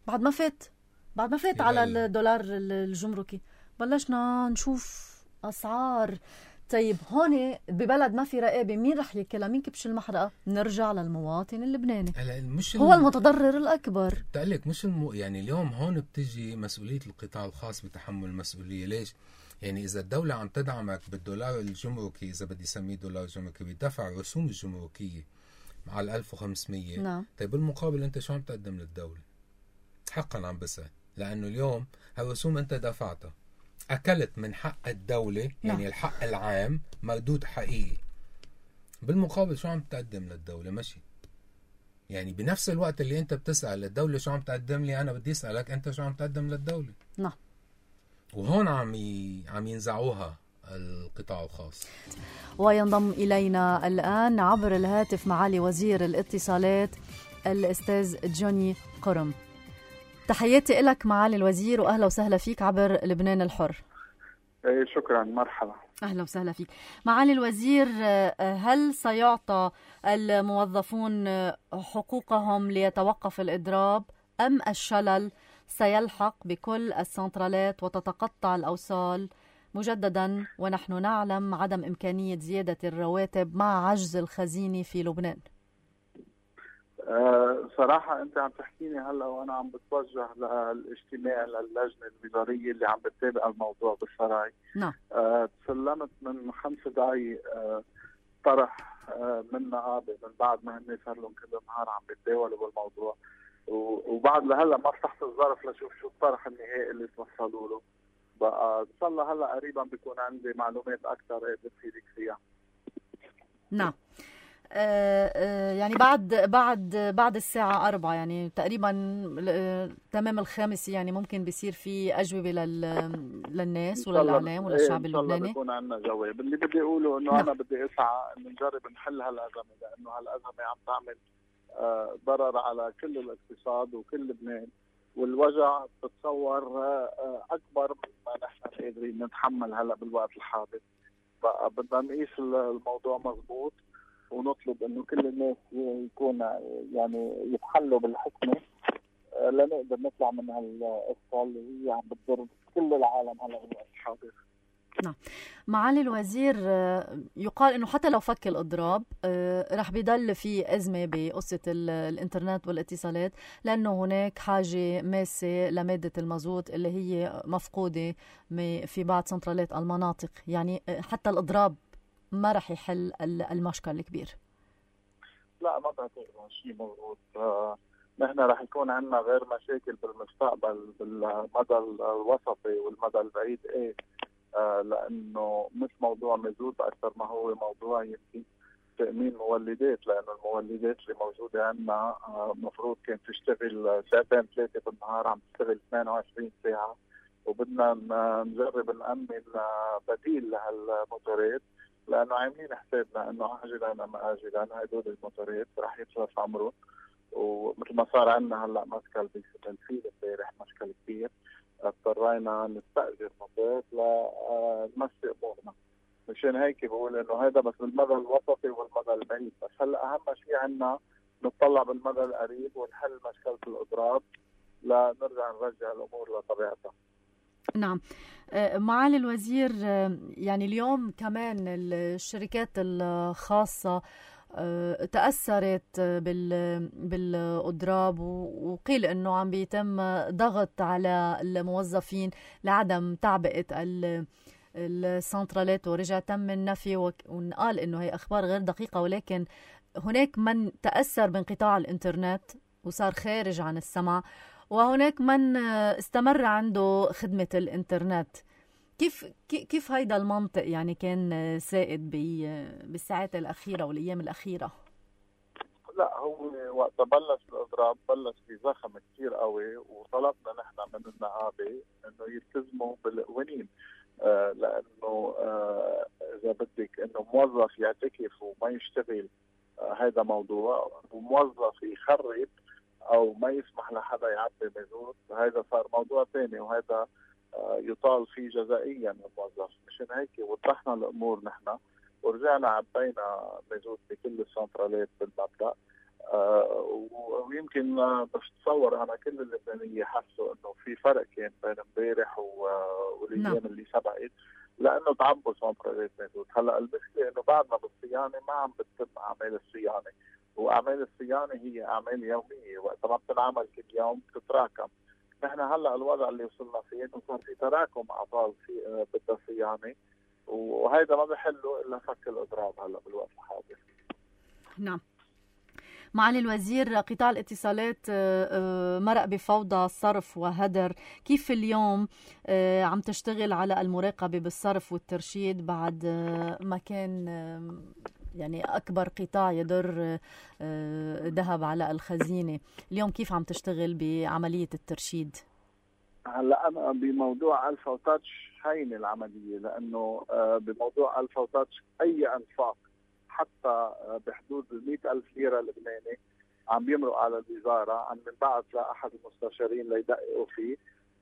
بعد ما فات على الدولار الجمركي بلشنا نشوف أسعار. طيب هون ببلد ما في رقابة، مين رح ياكلها؟ مين كبش المحرقة؟ نرجع للمواطن اللبناني، هو المتضرر الأكبر. تقلك مش يعني اليوم هون بتجي مسؤولية القطاع الخاص بتحمل المسؤولية. ليش؟ يعني إذا الدولة عم تدعمك بالدولار الجمركي، إذا بدي سميه دولار جمركي، بيدفع رسوم الجمركية على 1500. نعم. طيب بالمقابل أنت شو عم تقدم للدولة؟ حقا عم بسأل، لأنه اليوم هالرسوم أنت دفعتها، أكلت من حق الدولة، يعني الحق العام مردود حقيقي. بالمقابل شو عم تقدم للدولة؟ ماشي. يعني بنفس الوقت اللي أنت بتسأل الدولة شو عم تقدم لي، أنا بدي أسألك أنت شو عم تقدم للدولة. نعم. وهون عم ينزعوها القطاع الخاص. وينضم إلينا الآن عبر الهاتف معالي وزير الاتصالات الأستاذ جوني قرم. تحياتي لك معالي الوزير، وأهلا وسهلا فيك عبر لبنان الحر. شكرا، مرحبا. أهلا وسهلا فيك معالي الوزير. هل سيعطى الموظفون حقوقهم ليتوقف الإضراب، أم الشلل سيلحق بكل السنترالات وتتقطع الأوصال مجددا، ونحن نعلم عدم إمكانية زيادة الرواتب مع عجز الخزينة في لبنان؟ صراحة أنت عم تحكيني هلا وأنا عم بتوجه للاجتماع للجنة الوزارية اللي عم بتتابع الموضوع بالسراي. نعم. تسلمت من 5 دقايق طرح من نقابة، من بعد ما هن صار لهم كل نهار عم بيتداولوا بالموضوع، وبعد لهلا ما فتحت الظرف لشوف شو الطرح النهائي اللي توصلوا له. بقى ان شاء الله هلا قريبا بيكون عندي معلومات اكثر بفيدك فيها. نعم. يعني بعد الساعة 4 يعني تقريبا تمام 5 يعني ممكن بيصير في أجوبة للناس وللإعلام وللشعب اللبناني. إن شاء الله بيكون عندنا جواب. اللي بدي أقوله إنه أنا بدي أسعى إنه نجرب نحل هالأزمة، لأنه هالأزمة عم تعمل ضرر على كل الاقتصاد وكل لبنان، والوجع بتصور أكبر مما نحن قادرين نتحمل هلا بالوقت الحاضر. بقى بدنا نقيس الموضوع مضبوط، ونطلب انه كل الناس يكون يعني يتحلوا بالحكمه لنقدر نطلع من هالقصه اللي هي عم بتضر كل العالم هلا بالوقت الحاضر. نعم. معالي الوزير، يقال انه حتى لو فك الاضراب رح بيضل في ازمه بقصه الانترنت والاتصالات، لانه هناك حاجه ماسه لماده المازوت اللي هي مفقوده في بعض سنترالات المناطق. يعني حتى الاضراب ما رح يحل المشكل الكبير. لا، ما بعتقد شيء مضبوط. نحن رح يكون عندنا غير مشاكل بالمستقبل بالمدى الوسطي والمدى البعيد. لانه مش موضوع مازوت اكثر ما هو موضوع يمكن تامين مولدات، لانه المولدات اللي موجوده عندنا المفروض كانت تشتغل 2-3 ساعات بالنهار، عم تشتغل 28 ساعه، وبدنا نجرب نامن بديل لهالموتورات، لانه عاملين حسابنا انه عاجلا ام اجلا هدول الموتورات رح يخلص عمرهم. ومثل ما صار عندنا هلا مشكل بالفيل امبارح، مشكل كبير، اضطرينا نستاجر موتور لنمشي امورنا. مشان هيك بقول انه هذا بس بالمدى الوسطي والمدى البعيد. بس هلا اهم شيء عندنا نطلع بالمدى القريب ونحل مشكله الاضراب لنرجع نرجع الامور لطبيعتها. نعم. معالي الوزير، يعني اليوم كمان الشركات الخاصة تأثرت بالإضراب، وقيل أنه عم بيتم ضغط على الموظفين لعدم تعبئة السنترالات، ورجع تم النفي ونقال أنه هي أخبار غير دقيقة. ولكن هناك من تأثر بانقطاع الإنترنت وصار خارج عن السمع، وهناك من استمر عنده خدمة الإنترنت. كيف هيدا المنطق يعني كان سائد بالساعات الأخيرة والأيام الأخيرة؟ لا، هو وقت بلش الاضراب بلش في زخم كثير قوي، وطلبنا نحن من النقابه انه يلتزموا بالقوانين، لانه اذا بدك انه موظف يعتكف وما يشتغل هذا موضوع، وموظف يخرب او ما يسمح لحدا يعبي مازوت هذا صار موضوع ثاني، وهذا يطال فيه جزائيا الموظف. مشان هيك وضحنا الامور نحن ورجعنا عبينا مازوت بكل السنترالات بالمبدا. ويمكن بس تصور انا كل اللبنانيه حسوا انه في فرق كان بين امبارح والايام اللي سبقت، لانه تعبوا سنترالات مازوت. هلا المشكله انه بعدنا بالصيانه ما عم بتتم اعمال الصيانه، واعمال الصيانه هي اعمال يوميه، وقت ما بتنعمل كل يوم بتتراكم. نحن هلا الوضع اللي وصلنا فيه انه صار في تراكم اعطال في بدها صيانه، وهذا ما بحله الا فك الاضراب هلا بالوقت الحاضر. نعم. معالي الوزير، قطاع الاتصالات مرق بفوضى صرف وهدر، كيف اليوم عم تشتغل على المراقبة بالصرف والترشيد بعد ما كان يعني أكبر قطاع يدر ذهب على الخزينة؟ اليوم كيف عم تشتغل بعملية الترشيد؟ هلا أنا بموضوع ألفا وتاتش هين العملية، لأنه بموضوع ألفا وتاتش أي أنفاق حتى بحدود 100,000 ليرة لبناني عم بيمرق على الوزارة، عم بنبعث لأحد المستشارين ليدققوا فيه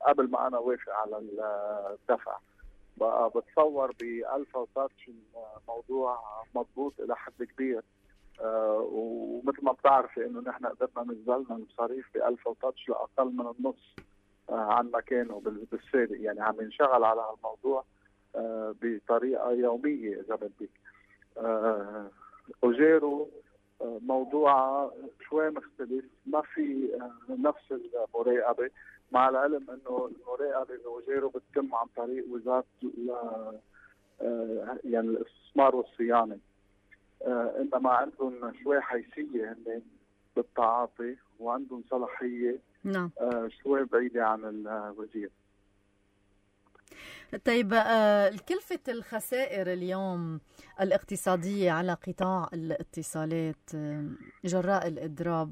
قبل ما أنا وافق على الدفع. بقى بتصور بألفا وتاتش الموضوع مضبوط إلى حد كبير، ومثل ما بتعرفي إنه نحن قدرنا نزلنا المصاريف بألفا وتاتش لأقل من النص عن مكانه بالسابق. يعني عم ينشغل على الموضوع بطريقة يومية إذا بدك. أوجيرو موضوع شوي مختلف، ما في نفس المراقبة، مع العلم انه المراقبة بأوجيرو بتتم عن طريق وزارة يعني الاستثمار والصيانة، انما عندهم شوي حيثية هن بالتعاطي وعندهم صلاحية نعم شوي بعيدة عن الوزير. طيب، كلفة الخسائر اليوم الاقتصادية على قطاع الاتصالات جراء الإضراب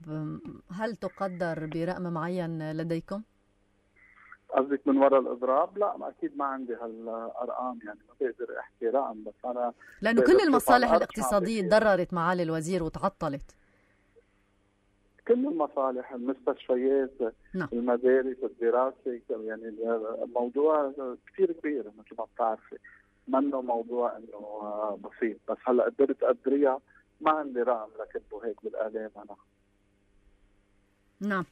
هل تقدر برقم معين لديكم؟ قصدك من وراء الإضراب؟ لا، أكيد ما عندي هالأرقام، يعني ما بقدر أحكي رقم، بس أنا لأنه كل المصالح الاقتصادية تضررت معالي الوزير وتعطلت. كل المصالح، المستشفيات، نعم. المدارس، الدراسة، يعني الموضوع كثير كبير مثل ما بتعرفي، منه موضوع انه بسيط. بس هلا قدرت أدريها، ما عندي رقم لكتبه هيك بالآلام أنا. نعم.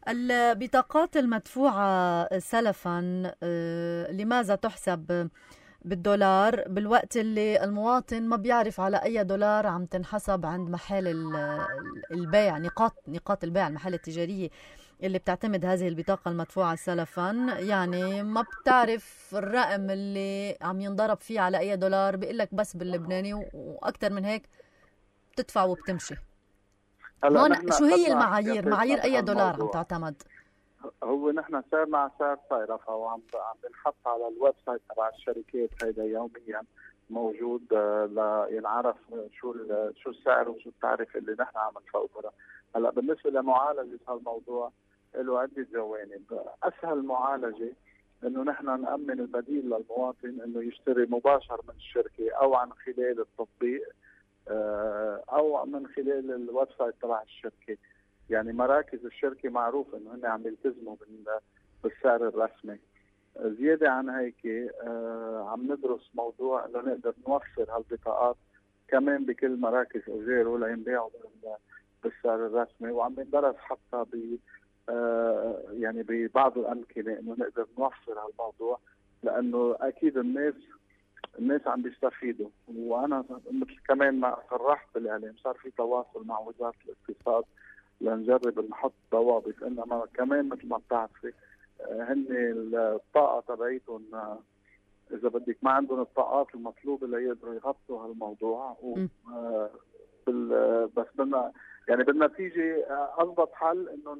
البطاقات المدفوعة سلفا لماذا تحسب بالدولار بالوقت اللي المواطن ما بيعرف على أي دولار عم تنحسب عند محل البيع، نقاط البيع، المحل التجارية اللي بتعتمد هذه البطاقة المدفوعة سلفا، يعني ما بتعرف الرقم اللي عم ينضرب فيه على أي دولار، بيقلك بس باللبناني وأكتر من هيك بتدفع وبتمشي. هون شو هي المعايير؟ معايير أي دولار عم تعتمد؟ هو نحن صرنا على سعر صيرفة، وعم بنحط على الويب سايت تبع الشركات هيدا يوميا موجود لينعرف شو السعر وشو التعرفة اللي نحن عم نفوتها. هلا بالنسبة لمعالجة هالموضوع له عدة جوانب. أسهل معالجة إنه نحن نأمن البديل للمواطن إنه يشتري مباشر من الشركة أو عن خلال التطبيق أو من خلال الويب سايت تبع الشركة. يعني مراكز الشركة معروف إنه هن عم يلتزموا بالسعر الرسمي. زيادة عن هيك عم ندرس موضوع إنه نقدر نوفر هالبطاقات كمان بكل مراكز أوجيرو لينبيعوا بالسعر الرسمي، وعم ندرس حتى يعني ببعض الأمكنة إنه نقدر نوفر هالموضوع، لأنه أكيد الناس عم بيستفيدوا. وأنا مثل كمان ما صرحت بالإعلام صار في تواصل مع وزارة الاقتصاد لنجرب نحط ضوابط، انما كمان مثل ما بتعرفي هن الطاقه تبعيتهم اذا بدك ما عندهم الطاقات المطلوبه ليقدروا يغطوا هالموضوع. بس بدنا يعني بالنتيجه اضبط حل انه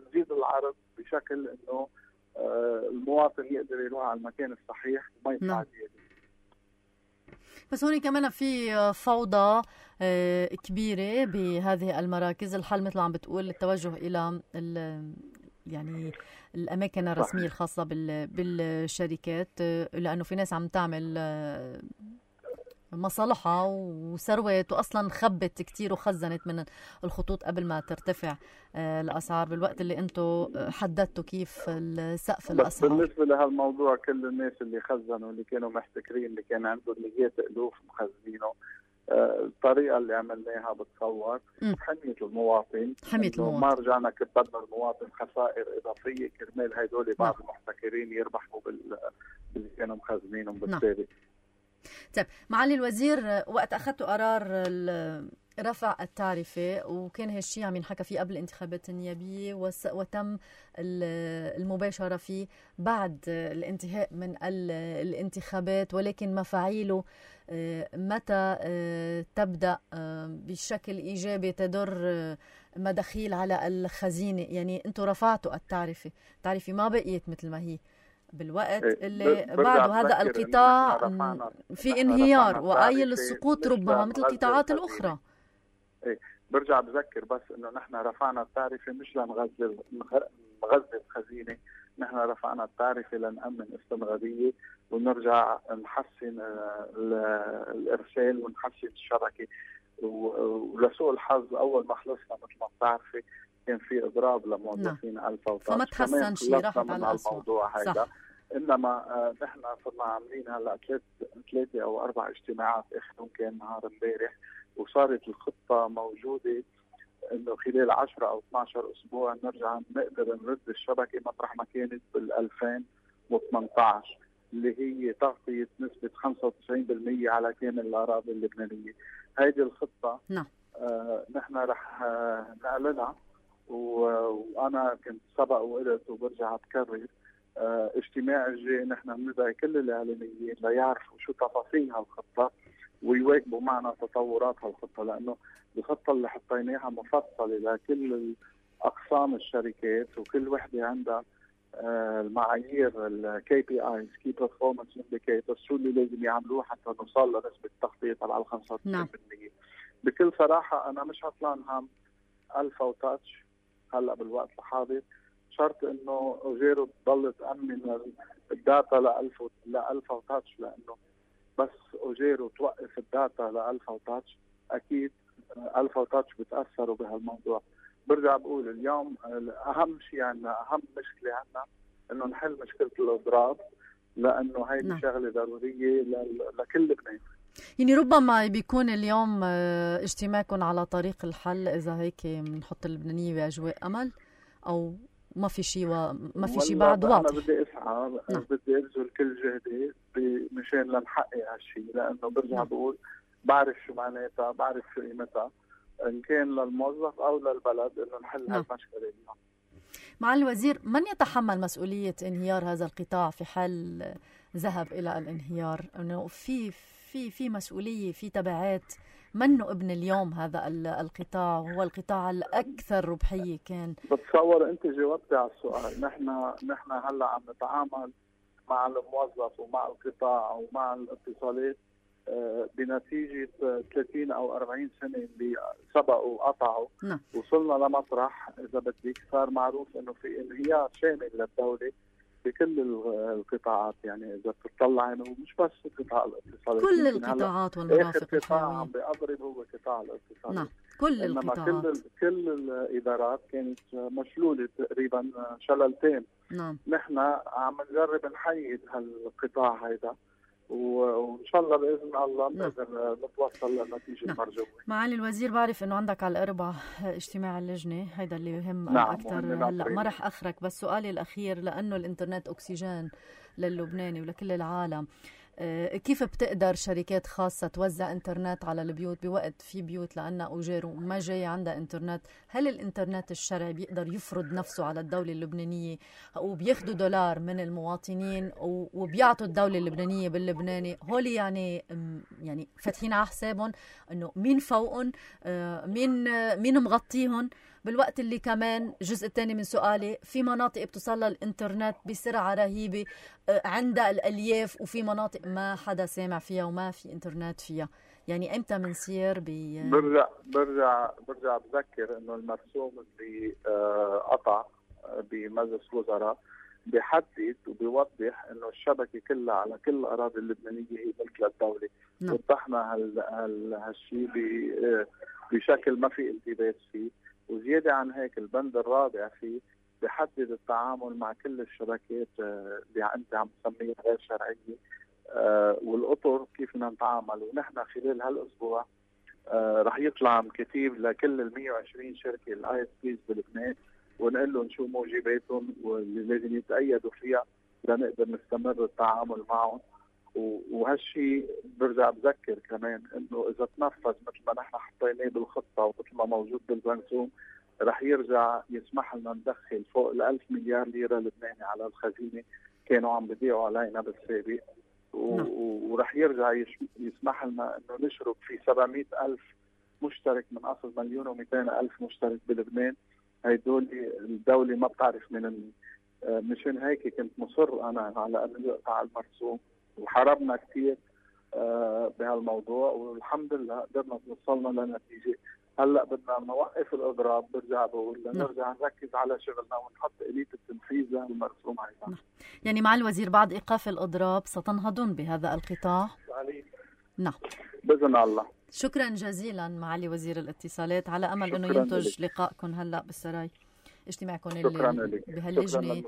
نزيد العرض بشكل انه المواطن يقدر يروح على المكان الصحيح وما يدفع زياده. بس هون كمان في فوضى كبيرة بهذه المراكز. الحل مثل عم بتقول التوجه إلى يعني الأماكن الرسمية الخاصة بالشركات، لأنه في ناس عم تعمل مصالحها وثروات وأصلا خبت كتير وخزنت من الخطوط قبل ما ترتفع الأسعار، بالوقت اللي أنتم حددتوا كيف سقف الأسعار. بالنسبة لهالموضوع كل الناس اللي خزنوا اللي كانوا محتكرين اللي كان عندهم مئات الألوف مخزنينه، الطريقة اللي عملناها بتصور حمية المواطن. ما رجعنا كبدنا المواطن خسائر إضافية كرمال هيدول بعض المحتكرين يربحوا باللي كانوا مخزنينهم بالتالي. طيب معالي الوزير، وقت أخذتوا قرار رفع التعرفة وكان هالشيء عم ينحكى فيه قبل الانتخابات النيابية وتم المباشرة فيه بعد الانتهاء من الانتخابات، ولكن مفاعيله متى تبدأ بشكل إيجابي تدر مداخيل على الخزينة؟ يعني أنتوا رفعتوا التعرفة ما بقيت مثل ما هي بالوقت اللي بعده هذا القطاع في انهيار وآيل السقوط ربما مثل القطاعات الأخرى. برجع بذكر بس انه نحن رفعنا التعرفة مش لنغذي الخزينة، نحن رفعنا التعرفة لنأمن استمرارية ونرجع نحسن الإرسال ونحسن الشبكة. ولسوء الحظ أول ما خلصنا مثل ما بتعرفي كان في إضراب لموظفين ألفا وتاتش، فما تحسن شيء، راحت على الموضوع هذا. إنما نحن صرنا عاملين هلا 3 أو 4 اجتماعات آخرهم كان نهار امبارح، وصارت الخطة موجودة إنه خلال 10 أو 12 أسبوع نرجع نقدر نرد الشبكة مطرح ما كانت بال2018 اللي هي تغطية نسبة 95% على كامل الأراضي اللبنانية. هيدي الخطة نحن رح نعلنها، وأنا كنت سبق وقلت وبرجع بكرر اجتماع الجاي نحن بندعي كل الإعلاميين ليعرفوا شو تفاصيل هالخطة ويواكبوا معنا تطورات هالخطة، لأنه الخطة اللي حطيناها مفصلة لكل أقسام الشركات وكل وحدة عندها المعايير KPIs Key Performance Indicators شو اللي لازم يعملوه حتى نوصل لنسبة تغطية على 95%. بكل صراحة أنا مش عطلان هم ألفا وتاتش هلا بالوقت الحاضر، شرط انه اوجيرو تضل تأمن الداتا لألفا وتاتش، لانه بس اوجيرو توقف الداتا لألفا وتاتش اكيد ألفا وتاتش بتأثروا بهالموضوع. برجع بقول اليوم اهم شيء عندنا، اهم مشكلة عندنا انه نحل مشكلة الاضراب، لانه هيدي شغلة ضرورية لكل لبنان. يعني ربما بيكون اليوم اجتماعكم على طريق الحل اذا هيك بنحط اللبنانية باجواء امل، او ما في شيء ما في شيء بعد واضح؟ أنا بدي أسعى بدي أبذل كل جهدي مشان لنحقق هالشيء، لأنه برجع بقول بعرف شو معناتها، بعرف شو قيمتها إن كان للموظف أو للبلد إنه نحل هالمشكلة اليوم. معالي الوزير، من يتحمل مسؤولية انهيار هذا القطاع في حال ذهب إلى الانهيار؟ إنه في مسؤولية، في تبعات. منه ابن اليوم هذا القطاع، وهو القطاع الأكثر ربحية كان. بتصور أنت جاوبتي على السؤال. نحن هلا عم نتعامل مع الموظف ومع القطاع ومع الاتصالات بنتيجة 30 أو 40 سنة اللي سبقوا وقطعوا. وصلنا لمطرح إذا بدك صار معروف إنه في انهيار شامل للدولة بكل القطاعات. يعني إذا بتطلع إنه مش بس قطاع الاتصالات، كل القطاعات والمرافق القطاع عم بيضرب هو قطاع الاتصالات. كل القطاعات، كل الإدارات كانت مشلولة تقريبا شللتين. نحن عم نجرب نحيد هالقطاع هيدا، وإن شاء الله بإذن الله نقدر نتوصل للنتيجة المرجوة. معالي الوزير، بعرف إنه عندك على الأربع اجتماع اللجنة، هيدا اللي يهم أكثر. هلا ما رح أخرك، بس سؤالي الأخير، لأنه الإنترنت أكسجين للبناني ولكل العالم، كيف بتقدر شركات خاصة توزع انترنت على البيوت بوقت في بيوت لأنها أوجار وما جاي عندها انترنت؟ هل الانترنت الشرعي بيقدر يفرض نفسه على الدولة اللبنانية وبياخدوا دولار من المواطنين وبيعطوا الدولة اللبنانية باللبناني؟ هولي يعني فاتحين على حسابهم انه مين فوقهم، مين مغطيهم، بالوقت اللي كمان الجزء الثاني من سؤالي في مناطق بتصل الانترنت بسرعة رهيبة عندها الألياف وفي مناطق ما حدا سامع فيها وما في انترنت فيها. يعني امتى منصير برجع بذكر انه المرسوم اللي قطع بمجلس الوزراء بيحدد وبيوضح انه الشبكه كلها على كل الاراضي اللبنانيه هي ملك للدوله. وضحنا هالشيء بشكل ما في التباس فيه. وزياده عن هيك البند الرابع فيه بيحدد التعامل مع كل الشبكات اللي انت عم تسميها غير شرعيه والاطر كيف بدنا نتعامل. ونحن خلال هالاسبوع رح يطلع كتيب لكل ال 120 شركه الاي اس بيز بلبنان ونقول لهم شو موجباتهم واللي لازم يتأيدوا فيها لنقدر نستمر التعامل معهم. وهالشيء برجع بذكر كمان انه اذا تنفذ مثل ما نحن حطيناه بالخطه ومثل ما موجود بالمرسوم رح يرجع يسمح لنا ندخل فوق ال 1000 مليار ليره لبناني على الخزينه كانوا عم بيضيعوا علينا بالسابق. ورح يرجع يسمح لنا انه نشرب في 700,000 مشترك من اصل 1,200,000 مشترك بلبنان. هيدول الدولة ما بتعرف من مشان هيك كنت مصر أنا على أن يقطع المرسوم وحاربنا كثير بهالموضوع والحمد لله قدرنا وصلنا لنتيجة. هلا بدنا نوقف الإضراب. برجع بقول نرجع نركز على شغلنا ونحط آلية التنفيذ للمرسوم هيدا. يعني مع الوزير بعد إيقاف الإضراب ستنهضون بهذا القطاع؟ نعم بإذن الله. شكرا جزيلا معالي وزير الاتصالات، على أمل أنه ينتج لقائكم هلأ بالسراي اجتماعكم اللي بهاللجنة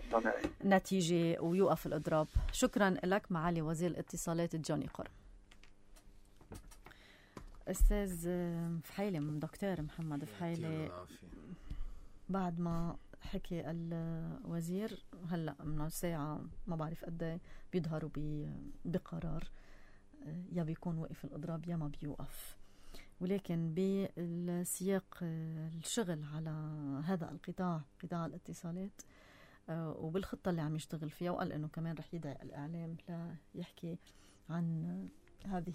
نتيجة ويوقف الإضراب. شكرا لك معالي وزير الاتصالات جوني قرم. أستاذ فحيلة، دكتور محمد فحيلة، بعد ما حكي الوزير هلأ من ساعة ما بعرف قد بيظهروا بقرار يا بيكون وقف الإضراب يا ما بيوقف، ولكن بالسياق الشغل على هذا القطاع، قطاع الاتصالات، وبالخطة اللي عم يشتغل فيها، وقال إنه كمان رح يدعي الإعلام ليحكي عن هذه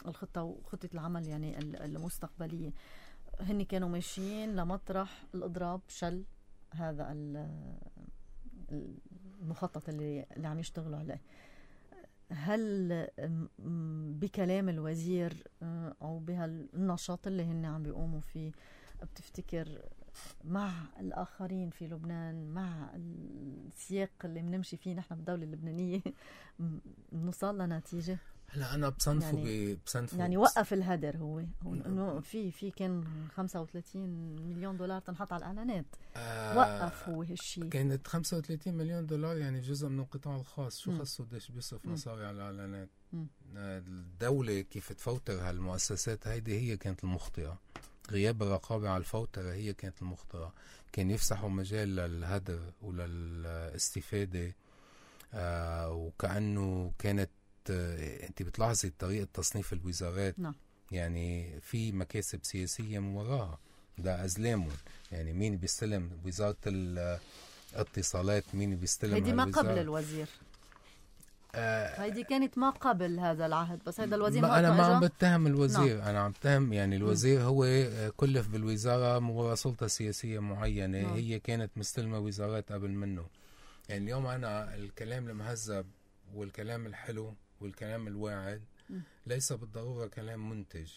الخطة وخطة العمل يعني المستقبلية. هن كانوا ماشيين لمطرح الإضراب شل هذا المخطط اللي عم يشتغلوا عليه. هل بكلام الوزير أو بهالنشاط اللي هن عم بيقوموا فيه بتفتكر مع الآخرين في لبنان، مع السياق اللي بنمشي فيه نحن بالدولة اللبنانية، نوصل لنتيجة؟ هلا أنا بصنفه يعني وقف الهدر هو إنه في كان 35 مليون دولار تنحط على الإعلانات، وقف هو هالشيء. كانت 35 مليون دولار يعني جزء من القطاع الخاص، شو خصه قديش بيصرف مصاري على الإعلانات؟ الدولة كيف تفوتر هالمؤسسات هيدي هي كانت المخطئة، غياب الرقابة على الفوترة هي كانت المخطئة. كان يفسحوا مجال للهدر وللاستفادة، وكأنه كانت انت بتلاحظي طريقة تصنيف الوزارات. يعني في مكاسب سياسية من وراها، ده أزلامهم. يعني مين بيستلم وزارة الاتصالات، مين بيستلم هيدي ما قبل الوزير، هيدي كانت ما قبل هذا العهد، بس هذا الوزير أنا ما عم بتهم الوزير. أنا عم بتهم يعني الوزير هو كلف بالوزارة من وراء سلطة سياسية معينة. هي كانت مستلمة وزارات قبل منه. يعني اليوم أنا الكلام المهذب والكلام الحلو والكلام الواعد ليس بالضرورة كلام منتج،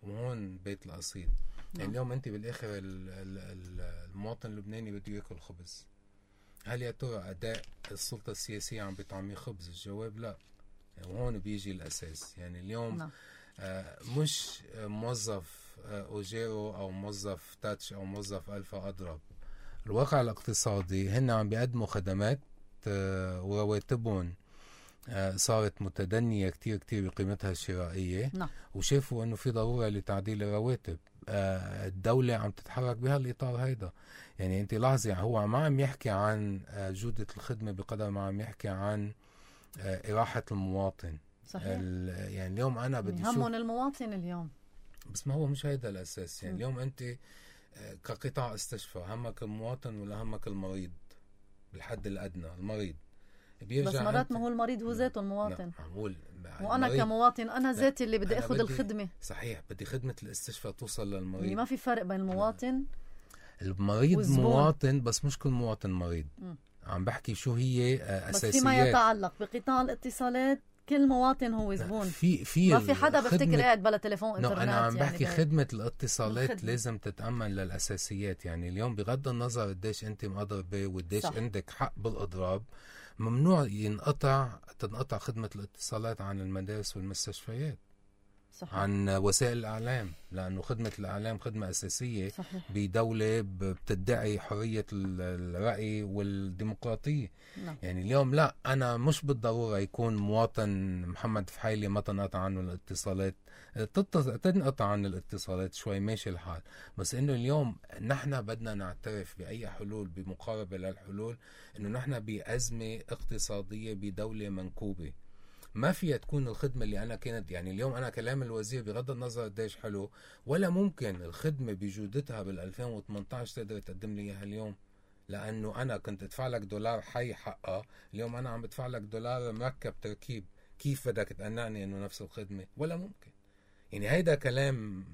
وهون بيت القصيد. يعني اليوم أنت بالآخر المواطن اللبناني بده يأكل خبز. هل يا ترى أداء السلطة السياسية عم بيطعمي خبز؟ الجواب لا. يعني وهون بيجي الأساس. يعني اليوم مش موظف أوجيرو أو موظف تاتش أو موظف ألفا أضرب. الواقع الاقتصادي هن عم بيقدموا خدمات ورواتبهم صارت متدنية كتير كتير بقيمتها الشرائية. وشافوا أنه في ضرورة لتعديل الرواتب. الدولة عم تتحرك بهالإطار هيدا. يعني أنت لاحظي هو ما عم يحكي عن جودة الخدمة بقدر ما عم يحكي عن إراحة المواطن. صحيح. يعني اليوم أنا بدي يهمهم المواطن اليوم، بس ما هو مش هيدا الأساس. يعني اليوم أنت كقطاع استشفاء همك المواطن ولا همك المريض؟ بالحد الأدنى المريض بس مرات ما هو المريض هو ذاته المواطن. وأنا كمواطن أنا ذاتي اللي بدي أخذ الخدمة. صحيح، بدي خدمة الاستشفاء توصل للمريض. يعني ما في فرق بين المواطن المريض والزبون. مواطن، بس مش كل مواطن مريض. عم بحكي شو هي أساسيات. بس فيما يتعلق بقطاع الاتصالات كل مواطن هو زبون. ما في حدا بفتكر قاعد بلا تليفون انترنت. أنا عم بحكي يعني خدمة الاتصالات لازم تتأمن للأساسيات. يعني اليوم بغض النظر قديش أنت مضربة وقديش عندك حق بالإضراب، ممنوع تنقطع خدمة الاتصالات عن المدارس والمستشفيات. صحيح. عن وسائل الإعلام، لأنه خدمة الإعلام خدمة أساسية. صحيح. بدولة بتدعي حرية الرأي والديمقراطية. نعم. يعني اليوم لا، أنا مش بالضرورة يكون مواطن محمد فحيلي ما تنقطع عنه الاتصالات، تنقطع عن الاتصالات شوي ماشي الحال. بس إنه اليوم نحن بدنا نعترف بأي حلول بمقاربة للحلول، إنه نحن بأزمة اقتصادية بدولة منكوبة. ما فيها تكون الخدمة اللي أنا كانت. يعني اليوم أنا كلام الوزير بغض النظر قديش حلو، ولا ممكن الخدمة بجودتها بال2018 تقدر تقدم لي إياها اليوم. لأنه أنا كنت أدفع لك $1 حي حقها، اليوم أنا عم بدفع لك $1 مركب تركيب. كيف بدك تقنعني إنه نفس الخدمة؟ ولا ممكن. يعني هيدا كلام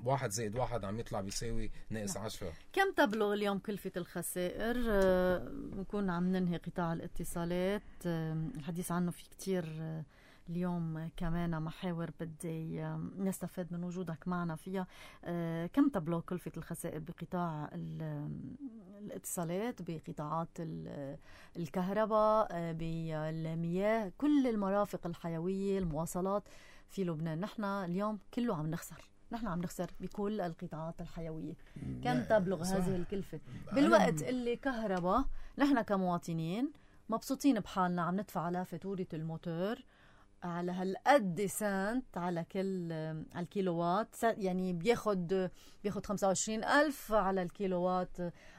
1 زائد 1 عم يطلع بيساوي ناقص 10. كم تبلغ اليوم كلفة الخسائر؟ نكون عم ننهي قطاع الاتصالات، الحديث عنه في كتير اليوم كمان محاور بدي نستفاد من وجودك معنا فيها. كم تبلغ كلفة الخسائر بقطاع الاتصالات، بقطاعات الكهرباء، بالمياه، كل المرافق الحيوية، المواصلات في لبنان؟ نحن اليوم كله عم نخسر، نحن عم نخسر بكل القطاعات الحيوية. كم تبلغ هذه الكلفة بالوقت اللي كهرباء نحن كمواطنين مبسوطين بحالنا عم ندفع على فاتورة الموتور على هالقد سنت على كل على الكيلووات؟ يعني بياخد 25,000 على الكيلووات،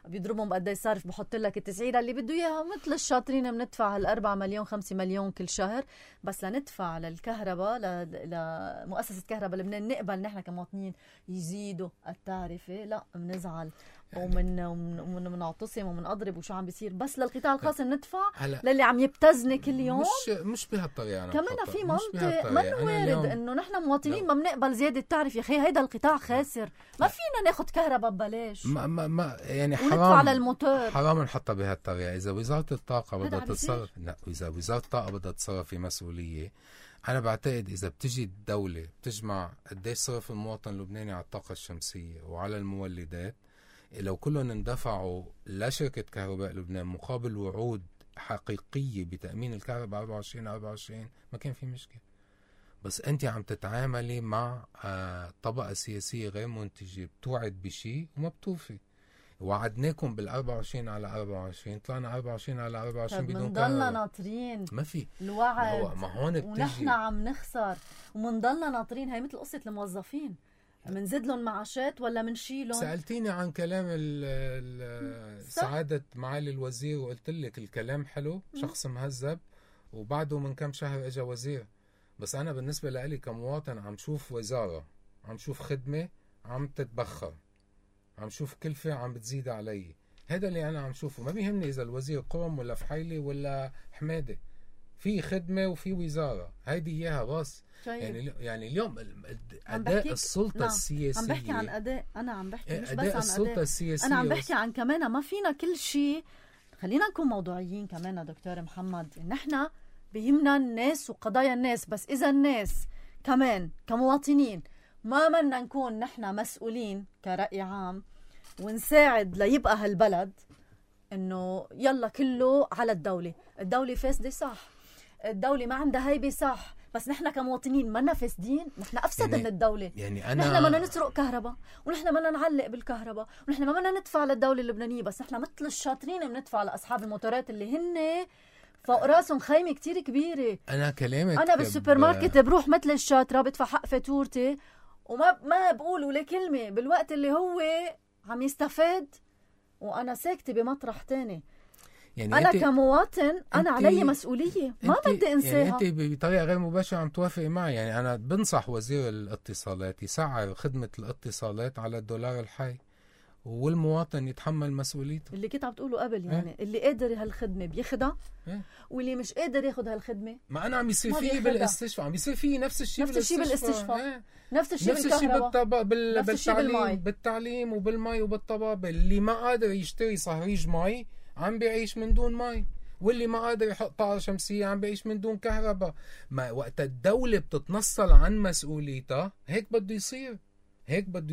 بيضربهم قد ايه صارف، بحط لك التسعيره اللي بده اياها. مثل الشاطرين بندفع 4 مليون 5 مليون كل شهر، بس لندفع للكهرباء لمؤسسه كهرباء لبنان نقبل نحن كمواطنين يزيدوا التعرفه؟ لا، بنزعل ومنعتصم ومنضرب وشو عم بيصير. بس للقطاع الخاص ندفع للي عم يبتزني كل يوم. مش بهالطريقه. كمان في منطق ما وارد انه نحن مواطنين ما بنقبل زياده تعرف. يا اخي هيدا القطاع خاسر، ما فينا ناخذ كهرباء ببلاش. ما يعني حرام وندفع للموتور. حرام نحطها بهالطريقه. اذا وزاره الطاقه بدها تتصرف، لا، اذا وزاره الطاقه بدها تتصرف في مسؤوليه، انا بعتقد اذا بتجي الدوله بتجمع قديش صرف المواطن اللبناني على الطاقه الشمسيه وعلى المولدات، لو كلهم اندفعوا لشركة كهرباء لبنان مقابل وعود حقيقية بتأمين الكهرباء 24/24 ما كان في مشكلة. بس أنت عم تتعاملي مع طبقة سياسية غير منتجة، بتوعد بشيء وما بتوفي. وعدناكم بال24/24، طلعنا 24/24 بدون كهرباء. منضلنا ناطرين ما في الوعد، ما هون بتجي ونحن عم نخسر ومنضلنا ناطرين. هي مثل قصة الموظفين، منزيد لهم معاشات ولا منشيلهم؟ سألتيني عن كلام سعادة معالي الوزير وقلت لك الكلام حلو، شخص مهذب، وبعده من كم شهر اجى وزير. بس انا بالنسبة لي كمواطن عم شوف وزارة، عم شوف خدمة عم تتبخر، عم شوف كلفة عم بتزيد علي. هذا اللي انا عم شوفه. ما بيهمني اذا الوزير قوم ولا فحيلي ولا حمادة، في خدمة وفي وزارة، هيدي اياها بس. يعني اليوم أداء السلطة السياسية، عم بحكي عن أداء، أنا عم بحكي مش أداء بس عن السلطة أداء السياسية. أنا عم بحكي عن كمان ما فينا كل شيء. خلينا نكون موضوعيين كمان دكتور محمد. نحن بيهمنا الناس وقضايا الناس، بس إذا الناس كمان كمواطنين ما بدنا نكون نحن مسؤولين كرأي عام ونساعد ليبقى هالبلد إنه يلا كله على الدولة فاسدة صح، الدولة ما عندها هيبة صح، بس نحن كمواطنين ما فاسدين، نحن أفسد من الدولة. يعني نحن ما نسرق كهرباء، ونحن ما نعلق بالكهرباء، ونحن ما ندفع للدولة اللبنانية، بس نحن مثل الشاطرين بندفع لأصحاب الموتورات اللي هن فوق راسهم خيمة كتير كبيرة. أنا بالسوبر ماركت بروح مثل الشاطرة بدفع حق فاتورتي وما بقول ولا كلمة، بالوقت اللي هو عم يستفاد وأنا ساكتة بمطرح تاني. يعني انا كمواطن انا علي مسؤوليه ما بدي انساها. يعني انت بطريقه غير مباشره عم توافقي معي. يعني انا بنصح وزير الاتصالات يسعر خدمه الاتصالات على الدولار الحي والمواطن يتحمل مسؤوليته. اللي كنت عم تقوله قبل يعني اللي قادر هالخدمه بياخدها واللي مش قادر ياخد هالخدمه ما انا عم يصير فيه بالاستشفاء، عم يصير فيه نفس الشيء بالاستشفاء، نفس الشيء بالكهرباء، بالتعليم وبالمي وبالطبابة. اللي ما قادر يشتري صهريج مي عم بيعيش من دون مي، واللي ما قادر يحط طاقة شمسية عم بيعيش من دون كهرباء. ما وقت الدولة بتتنصل عن مسؤوليتها هيك بده